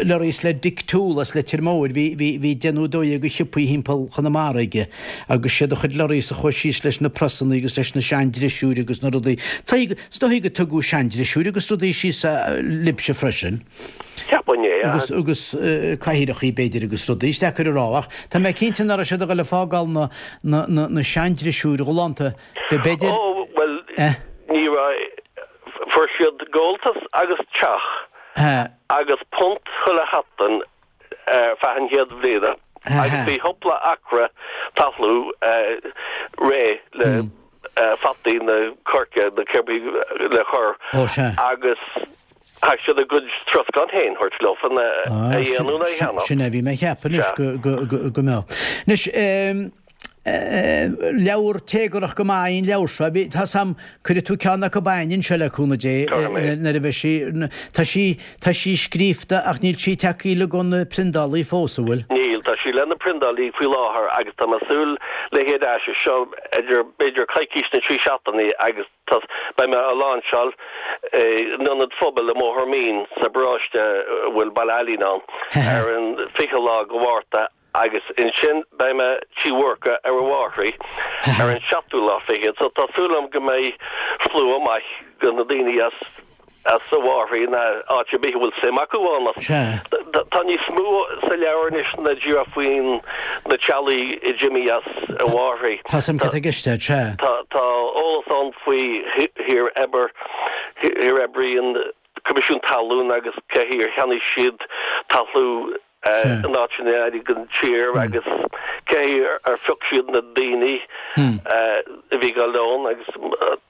lorries le Dick Toole as Leitir Móir, bhí, bhí, bhí déanamh dóighe de shiopaí thimpeall Chonamara aige agus siad a chuid lorries a chuaigh síos leis na prasannaí agus leis na seandrisiúir agus na rudaí. Is dóigh go dtugadh seandrisiúir agus rudaí síos libhse freisin. Cheapfainn é, Agus, agus cathaoireachaí b'fhéidir agus rudaí. Is deacair a rá ach tá mé cinnte nach raibh siad ag dul ag fágáil na, na, na, na seandrisiúir ghalánta. B'fhéidir. Ó, bhuel, ní raibh, fuair siad gabháltas agus teach agus punt chuile sheachtain ar feadh an chéad bhliana agus bhí cúpla acra talún réidh le fataí nó coirce nó cibé le cur agus chaithfeadh siad a gcuid troscán féin thabhairt leofa a dhéanamh nó a cheannach. Sin é, bhí mé ag ceapadh anois go mbeadh. Anois, leabhar téagarach go maith í an leabhar seo. Bhí, tá 's a'm, cuirfidh tú ceann acu againn anseo le cúnamh Dé nuair a bheidh sí, tá sí, tá sí scríofa ach níl sí tagtha le go na priondálaí fós, an bhfuil? Níl, tá sí le na priondálaí faoi láthair agus tá mé ag súil léi ar ais as seo idir b'fhéidir coicís nó trí seachtainí agus tá, beidh mé á láinseáil in ionad phobail i mBóthar Mín sa bparóiste a bhfuil Baile Ailín ann ar an fiche lá de Mhárta agus ansin beidh mé Tigh Mhurchadh ar an Bhfáithrí ar an seachtú lá fichead so tá súil agam go mbeidh slua maith de na daoine as as an bhFáithrí nó áit ar bith a bhfuil suim acu ann as tá níos mó sa leabhar anois ná díreach faoin na teaghlaigh a d'imigh as an bhFáithrí. Tá 's a'm cad tá i gceist agat, sea. Tá tá eolas ann faoi thír oibir thír oibrí an Coimisiún Talún agus cé chaoi ar cheannaigh siad talún in áiteanna áirithe den tír agus cé chaoi ar phioc siad na daoine a bhí ag dul ann agus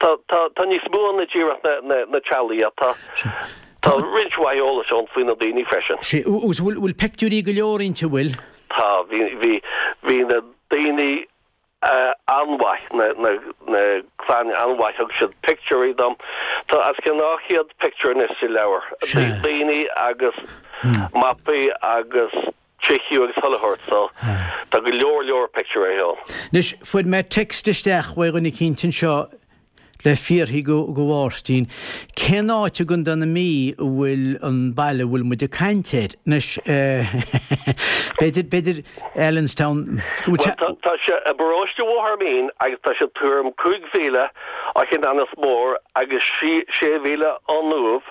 tá níos mó ann ná díreach na teaghlaigh ach tá tá roinnt mhaith eolais ann faoi na daoine freisin. Sea, agus bhfuil peictiúirí go leor inti, an bhfuil? Tá, bhí bhí na daoine an-mhaith, na clanna an-mhaith, thug siad pictiúirí dom. Tá os cionn dhá chéad pictiúr anois sa leabhar, daoine agus mapaí agus tithe agus chuile shórt, so tá go leor leor pictiúirí ann. Anois, fuair mé text isteach uaidh dhuine eicínt anseo le fiafraí go Mháirtín, cén áit i gContae na Mí a bhfuil an baile a bhfuil muid ag caint air? Anois, b'fhéidir, b'fhéidir Allenstown, go bhfuil Bhuel, tá sé i bparóiste Bhóthar Mín agus tá sé tuairim cúig mhíle ó Chionn Anas Mór agus sé mhíle ón Uaimh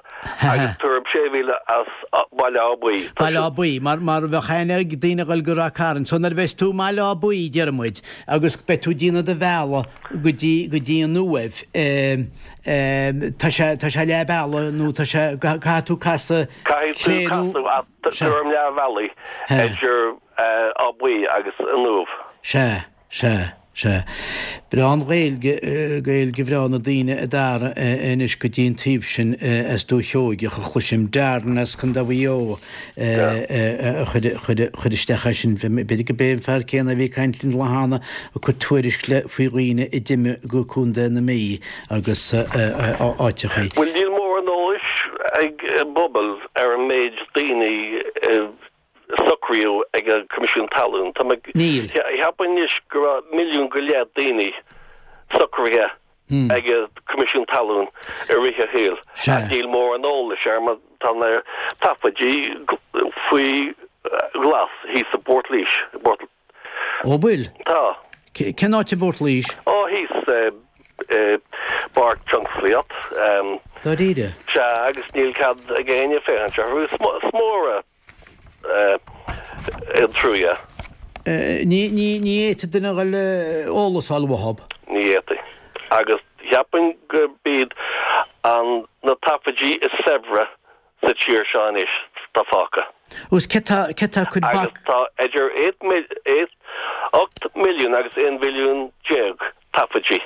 agus tuairim sé mhíle as Baile Átha Buí. Baile Átha Buí, mar, mar bheadh aithne ag daoine a dhul go Ráth Cairn. So nuair a bheas tú i mBaile Átha Buí, déarfaidh muid, agus beidh tú ag déanamh do bhealaigh go dtí, go dtí an Uaimh, tá sé, tá sé leath bealaigh nó tá sé, caithfidh tú casadh Caithfidh tú casadh ach tuairim leath bhealaigh idir Áth Buí agus an Uaimh. Sea, sea. Sea. Breá an Ghaeilge, Gaeilge bhreá na daoine a Dara anois go dtí an taobh sin as Dúiche Sheoigeach a chloisim. Darren as Contae Mhaigh Eo a chuir isteach é sin. B'fhéidir go b'é an fear céanna a bhí ag caint linn lá cheana ag cur tuairisc le faoi dhaoine a d'imigh go Contae na Mí agus áiteachaí. Bhuel níl mórán eolais ag an bpobal ar an méid daoine a socraíodh ag an Coimisiún Talún. Tá mé Níl. Cheapfainn anois go raibh milliún go leith daoine socraithe ag an Coimisiún Talún i rith a shaoil. Sea. Ach níl mórán eolais air mar tá na taifidí faoi ghlas thíos i bPort Laoise. Ó bhfuil? Tá. Cén áit i bPort Laoise? Ó thíos i bPáirc Tionsclaíocht. Dáiríre? Sea, agus níl cead ag éinne féachaint orthu. Is mór an trua. Ní fhéadfadh duine a dhul eolas a fháil uathub. Ní fhéadfaí. Agus cheapfainn gurb iad an na taifidí is saibhre sa tír seo anois atá fágtha. Agus cé tá cé tá ag cur bac. Agus tá idir ocht milliún agus aon mhilliún déag taifidí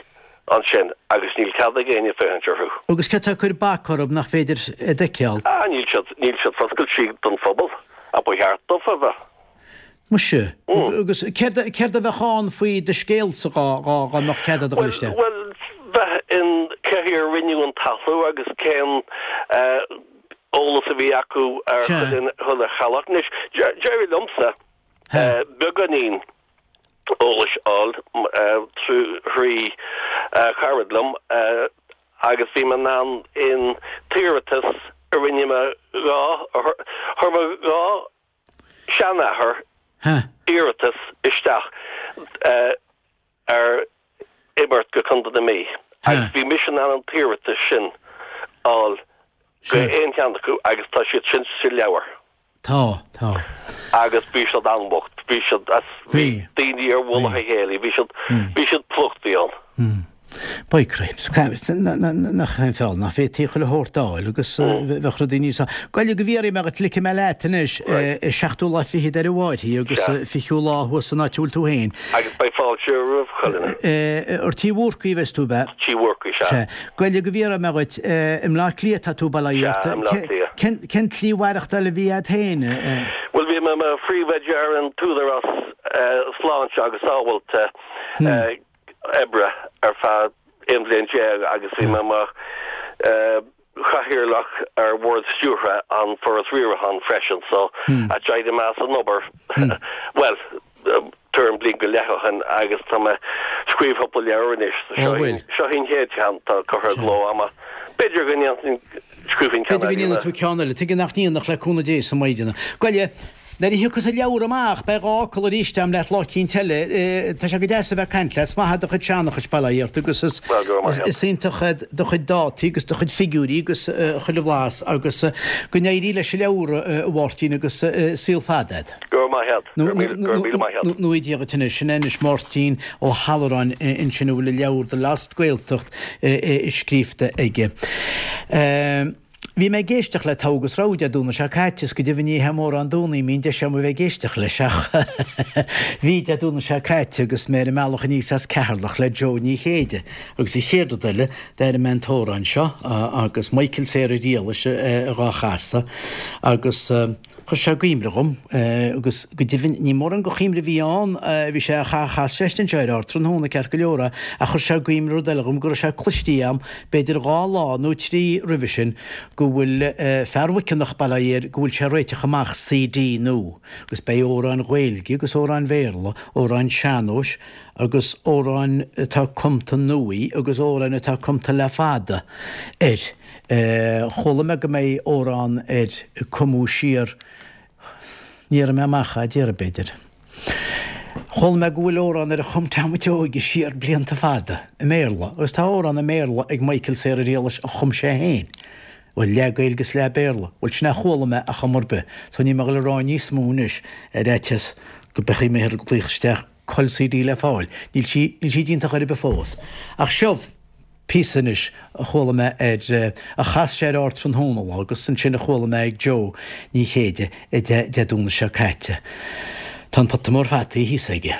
ansin agus níl cead ag éinne féachaint orthu. Agus cé tá ag cur bac orthu nach féidir iad a fheiceáil? Ah, níl siad, níl siad foscailte don phobal, ach ba cheart dófa a bheith. Muise, agus céard, céard a bheadh ann faoi do scéalsa dhá, dhá, dhá mbeadh cead agat a dhul isteach? Bhuel, bheith in cé chaoi ar rinneadh an talú agus cén eolas a bhí acu ar chuile, chuile theaghlach. Anois, d'éirigh liomsa beagáinín eolais a fháil trí cara liom agus bhí mé in ann an t-iarratas a rinne mé dhá chuir mo dhá seanathair iarratas isteach ar imirt go Contae na Mí agus bhí mise in ann an t-iarratas sin a fháil go aon cheann acu agus tá siad sin sa leabhar. Tá, tá. Agus bhí siad an-bhocht, bhí siad as, bhí daoine ar mhullach a chéile, bhí siad, bhí siad plúchtaí ann. By cripes, nach é an feall, nach bhféadfaí chuile shórt a fháil agus bheadh rudaí níos. Gabh i leith go bhfiafraí mé dhuit, ligfidh mé leat anois, seachtú lá fichead ar an bhFairche agus fichiú lá thuas san áit a bhfuil tú féin. Agus beidh fáilte roimh chuile dhuine. Ar Tí Bhúrcaí a bheas tú, ab ea? Tí Bhúrcaí, sea. Sea. Gabh i leith go bhfiafraí mé dhuit, i mBleá Cliath atá tú, bail ó Dhia ort. Sea, i mBleá Cliath. Cén tslí mhaireachtáil a bhí agat féin? Bhuel, bhí mé i mo phríomhoide ar an tÚdarás Sláinte agus Sábháilte Oibre ar feadh aon bhliain déag agus bhí mé mar chathaoirleach ar bhord stiúrtha an Foras Riaracháin freisin so d'éirigh mé as an obair, bhuel, tuairim bliain go leith ó shin agus tá mé ag scríobh cúpla leabhar anois. So seo í an chéad cheann atá curtha i gcló agam. B'fhéidir go ndéanfainn, scríobhfainn ceann B'fhéidir go eile. ndéanfaidh tú ceann eile. Tuige nach ndéanfadh le cúnamh Dé sa Maighdeana. Gabh i leith, nuair a thiocfas an leabhar amach, beidh dhá fhocal arís agam leat lá eicínt eile. Tá sé go deas a bheith ag caint leat. Is maith do chuid seanchais, bail ó Dhia ort, agus is Bhuel, go raibh maith agat. is iontach do chuid dátaí agus do chuid figiúirí agus chuile bhlas agus go n-éirí leis an leabhar, a Mháirtín, agus saol fada agat. Go raibh maith agat. Go raibh míle maith agat. Nó Dia dhuit anois. Sin é anois Máirtín Ó hAlluráin ansin a bhfuil a leabhar The Lost Gaeltacht scríofa aige. Bhí mé ag éisteacht le Togha agus Rogha Dé Domhnaigh seo caite, is go deimhin ní hé mórán Domhnaí a mbíonn deis agam a bheith ag éisteacht leis ach bhí Dé Domhnaigh seo caite agus mé ar an mbealach aníos as Ceatharlach le Joe Ní Chéide agus an chéad rud eile d'airigh mé an t-amhrán seo agus Michael Sarah Riallais dhá chasadh agus Chuir sé i gcuimhne dhom, agus go deimhin ní mórán de chuimhne a bhí ann, bhí sé, chas sé anseo ar Ardtráthnóna ceart go leor é, ach chuir sé i gcuimhne rud eile dhom, go raibh sé cloistí a'm, b'fhéidir dhá lá nó trí roimhe sin, go bhfuil fear Mhuiceanach, bail ó Dhia air, go bhfuil sé ag réiteach amach CD nua, agus beidh amhráin Ghaeilge agus amhráin Bhéarla, amhráin sean-nóis agus amhráin atá cumta nuaí agus amhráin atá cumta le fada air. Chuala mé go mbeidh amhrán air a cumadh siar, ní déarfaidh mé amach é, déarfaidh, b'fhéidir. Chuala mé go bhfuil amhrán air a chum Tom an tSeoighe siar blianta fada, i mBéarla, agus tá amhrán i mBéarla ag Michael Sarah Riallais a chum sé féin. Bhuel, leath Gaeilge is leath Béarla. Bhuel, sin é a chuala mé ar chuma ar bith, so níl mé ag dul a rá níos mó anois ar fhaitíos go mbeidh mé ag glaoch isteach cá bhfuil CD le fáil. Níl sí, níl sí déanta chor ar bith fós. Ach seo píosa anois a chuala mé ar, a chas sé ar Ardtráthnóna lá agus ansin a chuala mé ag Joe Ní Chéide Dé Domhnaigh seo caite. Tá an pota mór fataí thíos aige.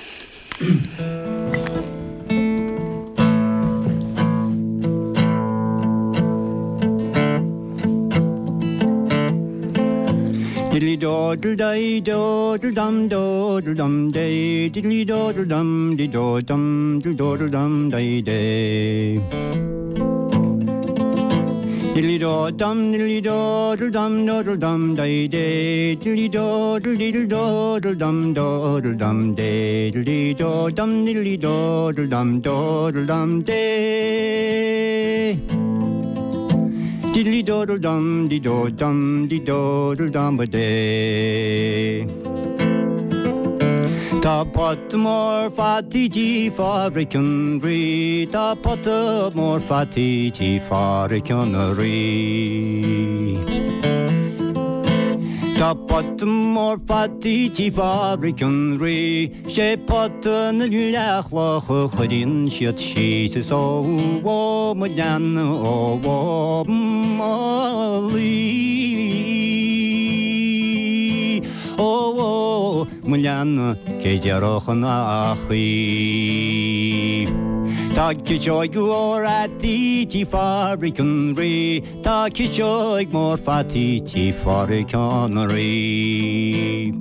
Diddly doddle die doddle dum doddle dum day diddly doddle dum dee do dum diddle doddle dum die day. Diddly do dum diddly doddle dum doddle dum die day diddly doddle diddle doddle dum doddle dum day diddly do dum diddly doddle dum doddle dum day. Diddly doddle dum dee do dum dee doddle dum a day. Tá pota mór fataí tí Phádraic an Rí, Tá pota mór fataí tí Phádraic an Rí. Tá pota mór fataí tí Phádraic an Rí, Sé pota na leathchloch a chuireann siad síos is ó ó mo leanna ó ó mo luí. Ó ó mo leanna cé déarfadh an í. Tá ciseog mhór fhataí tí Phádraic an Rí, Tá ciseog mhór fataí tí Phádraic an Rí.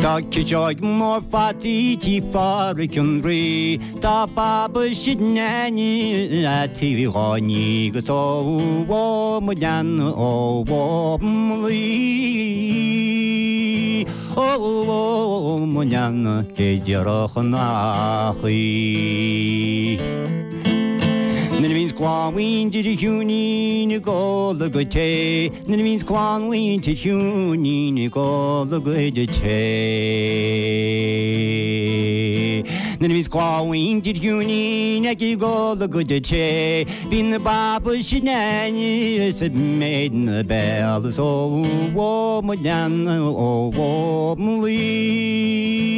Tá ciseog mhór fataí tí Phádraic an Rí, Tá Baba 'sid Neainí fhataí dhá ní 'gus ó ó mo leanna ó ó mo luí. Ó ó mo leanna cé déarfadh nach í. Nuair a bhíonns clann mhuintir Shiúinín ag ól a gcuid tae, Nuair a bhíonns clann mhuintir Shiúinín ag ól a gcuid tae. Nuair a bhíonns clann mhuintir Shiúinín ag ól a gcuid tae, Bíonn na baba sin aníos ag méid na béal is ó ó mo leanna ó ó mo luí.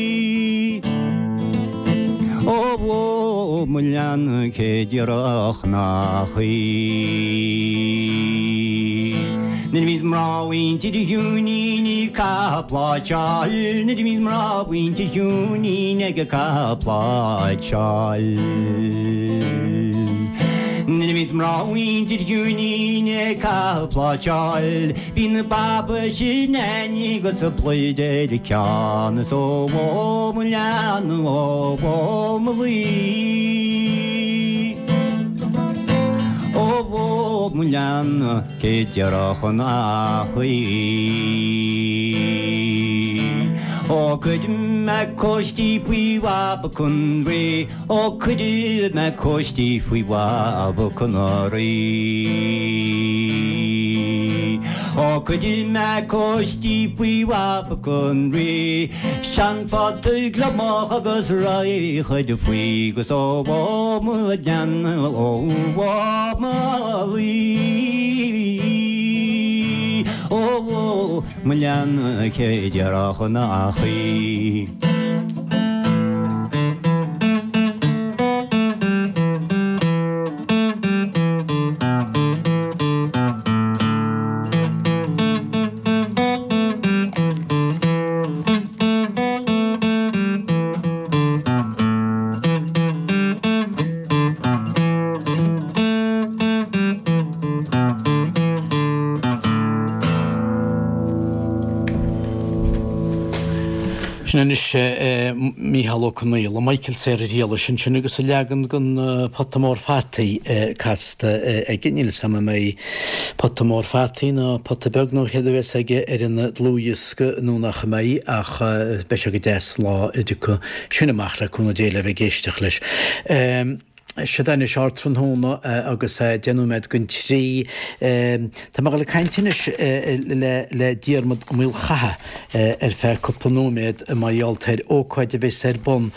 Ó ó mo leanna cé déarfadh nach í. Nuair a bhíonns mná mhuintir Shiúinín ag caitheamh pláitseáil, Nuair a bhíonns mná mhuintir Shiúinín ag caitheamh pláitseáil. Nuair a bhíonns mná mhuintir Shiúinín ag caitheamh pláitseáil, Bíonn na baba sin agus a pluid ar a ceann is ó ó mo leanna ó ó mo luí. Ó ó mo leanna cé déarfadh nach í. Ó cuirfidh mé cóistí faoi bhaba chun Rí, Ó cuirfidh mé cóistí faoi bhaba chun Rí. Ó cuirfidh mé cóistí faoi bhaba chun Rí, Seanphota gliomach agus raghaidh chuid faoi 'gus ó ó mo leanna ó ó mo luí. Ó ó mo leanna cé déarfadh nach í. Sin anois Mícheál Ó Conaola, Michael Sarah Riallais ansin agus a leagan den Pota Mór Fataí casta aige. Níl 'fhios a'm an mbeidh pota mór fataí nó pota beag nó céard a bheas aige ar an dlúthdhiosca nó nach mbeidh ach beidh sé go deas lá a dtiocfaidh sin amach le cúnamh Dé le bheith ag éisteacht leis. Siad anois ardtráthnóna agus deich nóiméad don trí. Tá mé ag dul ag caint anois le le Diarmuid Ó Maolchatha ar feadh cúpla nóiméad mar gheall ar ócáid a bheas ar bun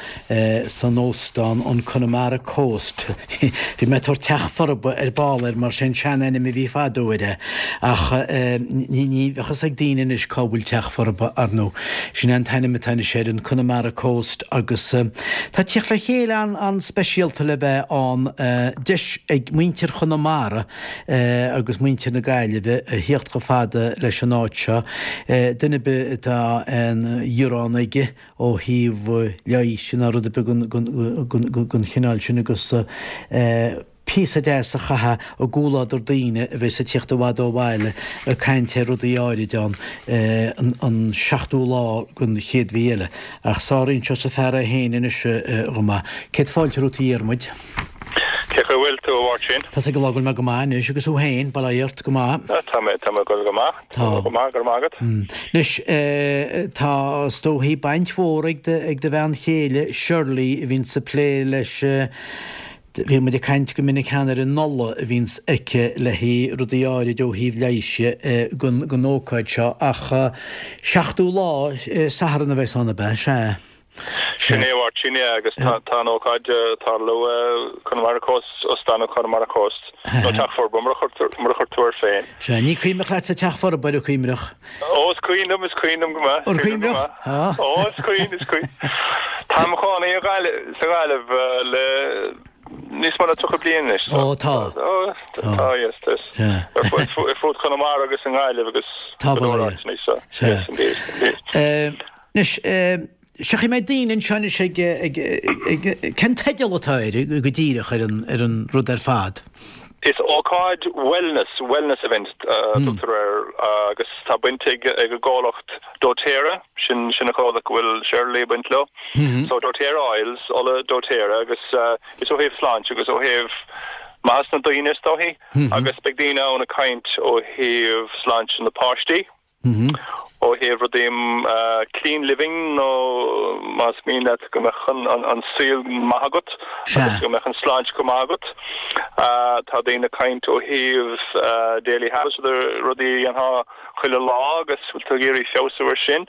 san óstán an Connemara Coast. Bhí mé ag tabhairt Teach Forba ar ball air mar sin seanainm a bhí fadó air é ach ní ní bheadh fhios ag daoine anois cá bhfuil Teach Forba ar ndóigh. Sin é an t-ainm atá anois ar an Connemara Coast agus tá teacht le chéile an an-speisialta le bheith ann deis ag muintir Chonamara agus muintir na Gaillimhe a thíocht chomh fada leis an áit seo. Duine ar bith atá aon ghearán aige ó thaobh leighis nó rud ar bith den chineál sin agus píosa deas a chaitheamh i gcomhluadar daoine a bheas ag tíocht i bhfad ó bhaile ag caint ar rudaí áirid ann an seachtú lá den chéad mhí eile. Ach sáraíonn seo sa fear é féin anois chomh maith. Céad fáilte romhat a Dhiarmuid. Cé chaoi bhfuil tú, a Mháirtín? Tá's ag an lá go bhfuil mé go maith anois agus thú féin, bail ó Dhia ort, go maith. Tá mé, tá mé ag dul go maith. Tá. Go maith, go raibh maith agat. Anois, tá is dóichí baint mhór ag do, ag do bhean chéile Shirley a bhíonns ag plé leis, bhí muid ag caint go minic cheana ar an ola a bhíonns aici le haghaidh rudaí áirid ó thaobh leighis gon, gon ócáid seo ach seachtú lá, Satharn a bheas ann ab ea? Sea. Sin é, a Mháirtín, é agus tá tá an ócáid ag tarlú i Connemara Coast, Óstán an Connemara Coast, nó Teach Forba mar a chuir mar a chuir tú air féin. Sea, ní cuimhneach leatsa Teach Forba, an cuimhneach? Ó, is cuimhin liom, is cuimhin liom go maith. An cuimhneach? Ó, is cuimhin, is cuimhin. Tá mo chónaí i Gaillimh, sa Ghaillimh le níos mó ná tríocha bliain anois. Ó, tá. Ó, tá, yes, tá. Ar fud Chonamara agus i nGaillimh agus Tá, go leor bail ó Dhia. áiteanna, so, Sea. yes, indeed, indeed. Anois, Seachfaidh mé daoine anseo anois ag, ag, ag, cén teideal atá air go díreach ar an, ar an rud ar fad? Is ócáid wellness, wellness event a tugtar air agus tá baint ag ag an gcomhlacht doTERRA, sin sin an comhlacht go bhfuil Shirley ag baint leo. So doTERRA Oils, ola doTERRA agus is ó thaobh sláinte agus ó thaobh maitheas na daoine is dóichí agus beidh daoine ann ag caint ó thaobh sláinte na páistí. Ó thaobh rudaí clean living nó más mian leat go mbeadh an saol maith agat agus go mbeadh an sláinte go maith agat. Tá daoine ag caint ó thaobh daily habits, rudaí a dhéanfá chuile lá agus bhfuil tú ag iarraidh feabhsú ar sin.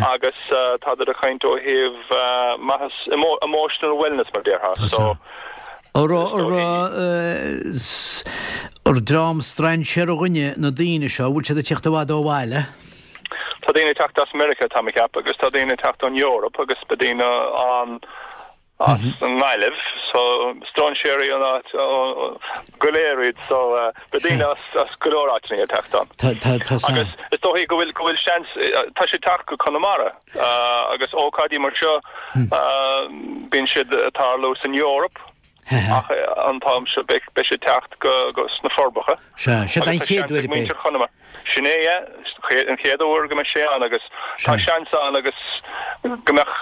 Agus tá daoine ag caint ó thaobh maitheas emotional wellness mar déarfá. So Ar dream strainséara dhuine na daoine seo, bhfuil siad ag teacht i bhfad ó bhaile? Tá daoine ag teacht as Meiriceá tá mé ag ceapadh agus tá daoine ag teacht ón Eoraip agus beidh daoine ann as an nGaillimh so strainséirí an áit go léir iad so beidh daoine as as go leor áiteanna ag teacht ann. Tá tá tá Agus is dóigh go bhfuil go bhfuil seans tá sé ag teacht go Conamara agus ócáidí mar seo bíonn siad ag tarlú san Eoraip. Ach an t-am seo beidh sé ag teacht go sna Forbacha. Sea, sé an chéad uair é. Sin é, an chéad uair go mbeidh sé ann agus tá seans ann agus go mbeadh,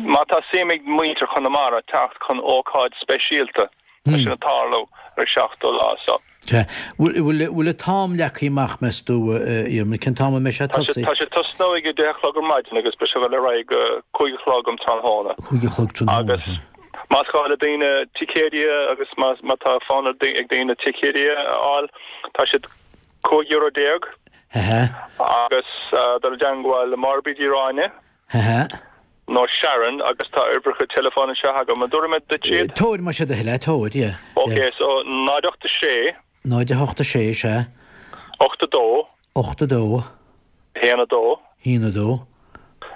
má tá suim ag muintir Chonamara teacht chun ócáid speisialta, tá sin ag tarlú ar an seachtú lá so. Sea. Bhfuil an t-am leagtha amach, meas tú, a Dhiarmaid? Cén t-am a mbeidh sé ag tosaí? Tá sé ag tosnú ag a deich a chlog ar maidin agus beidh sé ag dul ar aghaidh go cúig a chlog um tráthnóna. Cúig a chlog tráthnóna, Agus más gá le daoine ticéidí agus má tá fonn ag daoine ticéidí a fháil, tá siad cúig euro déag. Agus dul i dteangmháil le Máire Bríd Uí Ráinne. Nó Sharon agus tá uimhreacha teileafóin anseo agam. An dtabharfaidh mé duit iad? Tabhair, más é do thoil é, tabhair, yeah. Ok, so náid ocht a sé. Náid a hocht a sé, sea. Ocht a dó. Ocht a dó. Haon a dó. Haon a dó.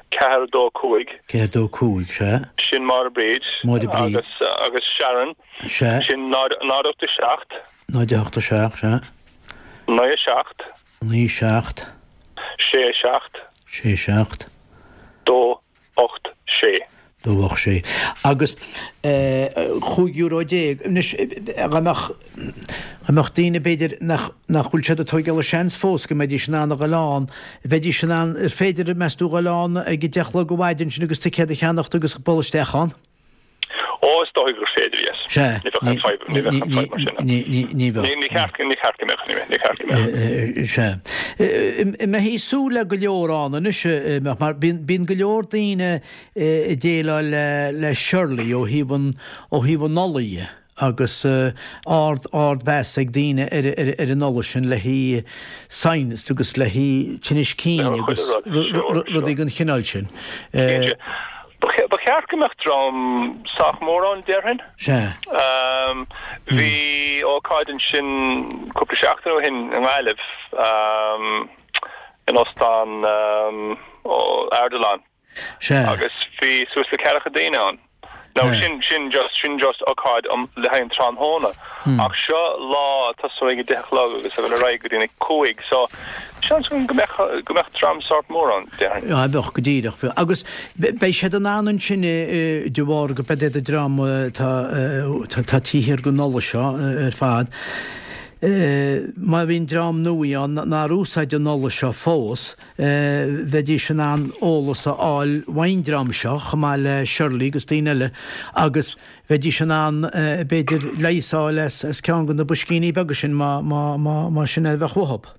Ceathair a dó cúig. Ceathair a dó cúig, sea. Sin Máire Bríd. Máire Bríd. Agus, agus Sharon. Sea. Sin náid, náid ocht a seacht. Náid a hocht a seacht, sea. Naoi a seacht. Naoi seacht. Sé a seacht. Sé seacht. Dó ocht sé. Dó ocht sé. Agus chúig euro déag. Anois, dá mbeadh, dá mbeadh daoine b'fhéidir nach, nach bhfuil siad ag tógáil a seans fós go mbeidís in ann a dhul ann, bheidís in ann, ar féidir, meas tú, dhul ann ag a deich a chlog ar maidin sin agus ticéad a cheannacht agus bualadh isteach ann? Ó, is dóigh gur féidir, yes. Sea. Ní bheadh aon fadhb, ní bheadh aon fadhb mar sin. Ní, ní, ní bheadh. Ní, ní ceart, ní ceart go mbeadh, ní, ní ceart go mbeadh. Sea. An mbeifí ag súil le go leor ann anois, mar bíonn, bíonn go leor daoine ag déileáil le, le Shirley ó thaobh an, ó thaobh an ola dhe agus ard, ardmheas ag daoine ar, ar, ar an ola sin le haghaidh sinus agus le haghaidh tinnis cinn agus rudaí den chineál sin. Cinnte. Ba cheart go mbeadh dream sách mór ann, déarfainn. Sea. Bhí ócáid ansin cúpla seachtain ó shin i nGaillimh, in Óstán Ardilaun. Sea. Agus bhí suas le ceathracha daoine ann. Now sin, sin just, sin just ócáid um, le haghaidh an tráthnóna. Ach seo lá ag tosú ag a deich a chlog agus ag dul ar aghaidh go dtí a cúig, so seans go mbeadh, go mbeadh dream sórt mór ann, déarfainn. Á, bheadh, go díreach. Bheadh. Agus beidh siad in ann ansin de bharr go beidh an dream atá, atá taobh thiar den ola seo ar fad, má bhíonn dream nua ann nár úsáid an ola seo fós, bheidís in ann eolas a fháil ón dream seo, chomh maith le Shirley agus daoine eile, agus bheidís in ann, b'fhéidir, leigheas a fháil as ceann de na boiscíní beaga sin má sin é a bheadh uathu.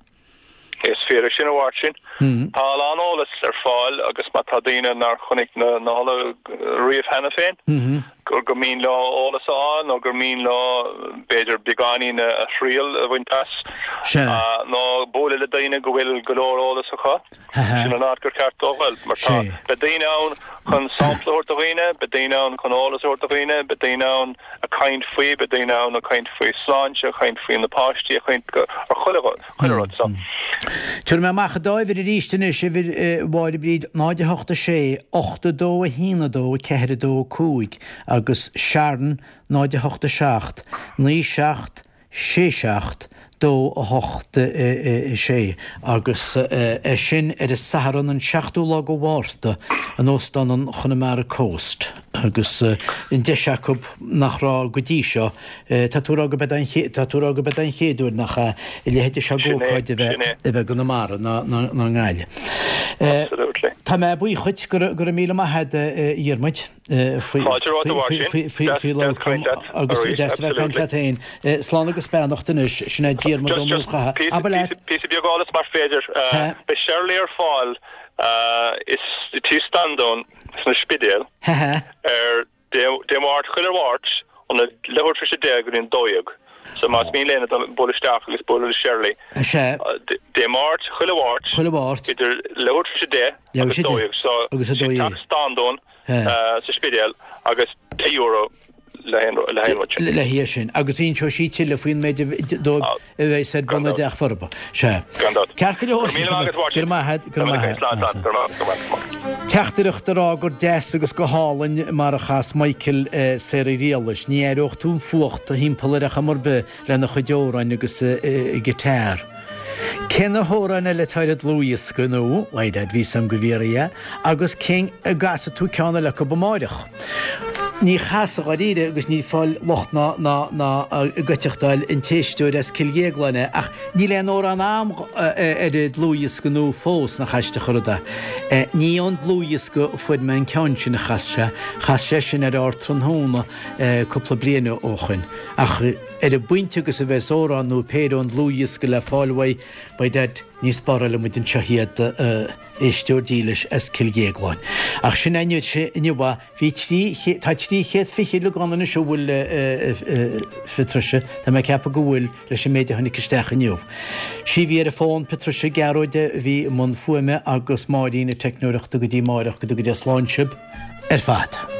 Is fíor é sin, a Mháirtín. Tá a lán eolas ar fáil agus má tá daoine nár chonaic na hola riamh cheana féin, gur gur mian leo eolas a fháil nó gur mian leo b'fhéidir beagáinín a thriail a bhaint as nó bualadh le daoine go bhfuil go leor eolas acu, sin an áit gur ceart dóibh dul mar tá beidh daoine ann chun sampla a thabhairt do dhaoine, beidh daoine ann chun eolas a thabhairt do dhaoine, beidh daoine ann ag caint faoi, beidh daoine ann ag caint faoi sláinte, ag caint faoi na páistí, ag caint ar chuile chuile rud so. Tabharfaidh mé amach an dá uimhir arís anois, uimhir Mháire Bríd náid a hocht a sé, ocht a dó a haon a dó, ceathair a dó cúig agus Sharon náid a hocht a seacht, naoi seacht, sé seacht, dó a hocht a sé agus é sin ar an Satharn an seachtú lá de Mhárta in Óstán an Chonamara Coast. Agus an deis acu nach raibh go dtí seo, tá tú a rá go b'é an tá tú a rá go b'é an chéad uair nach ea, a leithéid seo d'ócáid a bheith a bheith i gConamara ná ná i nGaillimh. Tá mé buíoch dhuit, go raibh míle maith agat a Dhiarmuid faoi faoi labhairt agus deas a bheith ag caint leat féin. Slán agus beannacht anois, sin é Diarmuid Ó Maolchatha. Abair leat. Píosa beag eolais más féidir. Beidh Shirley ar fáil i Tigh Standún san Spidéal ar Dé Máirt, chuile Mháirt, óna leathuair tar éis a deich go dtí an dó dhéag. So más mian le héinne bualadh isteach agus bualadh le Shirley. Dé Máirt, chuile Mháirt, Chuile Mháirt. idir leathuair tar éis a deich agus a dó dhéag. So Agus a dó dhéag. Teach Standún sa Spidéal agus deich euro le haon rud sin. Le haghaidh sin. Agus inseoidh sí tuilleadh faoin méid dóibh a bheas ar bun i dTeach Forba. Sea. Gan dabht. Ceart go leor. Go raibh míle maith agat, Go raibh maith agat, go raibh maith agat. Slán, slán. Go raibh maith, go raibh maith. Teachtaireacht a rá gur deas agus go hálainn mar a chas Michael Saoradh Riallais. Ní aireodh tú an fuacht thimpeall air ar chuma ar bith lena chuid amhráin agus a guitar. Cé na hamhráin eile atá ar an dlúthdhiosca nó, why dad, bhí 's a'm go bhfiafraí agus cén an gcasfaidh tú ceann eile acu amáireach? Ní chasfaidh dháiríre agus ní fáil locht ná ná ná goiteachtáil an t-éisteoir as Cill Dhéagláin é ach níl aon amhrán a'm ar an dlúthdhiosca nua fós nach aisteach an rud é. Ní ón dlúthdhiosca a fuair mé an ceann sin a chas sé, chas sé sin ar Ardtráthnóna cúpla bliain ó shoin ach ar an bpointe agus a bheas amhrán nó péire ón dlúthdhiosca le fáil uaidh, by dad, ní spáráilfidh muid anseo iad, éisteoir dílis as Cill Dhéagláin. Ach sin é inniu, bhí trí, tá trí chéad fiche uilig ann anois an bhfuil, a Phatricia, tá mé ag ceapadh go bhfuil, leis an méid a tháinig isteach inniu. Sí a bhí ar an bhfón, Patricia Gearóid a bhí i mbun fuaime agus Máirín na teicneoireachta go dtí amáireach, go dtuga Dia slán sibh ar fad.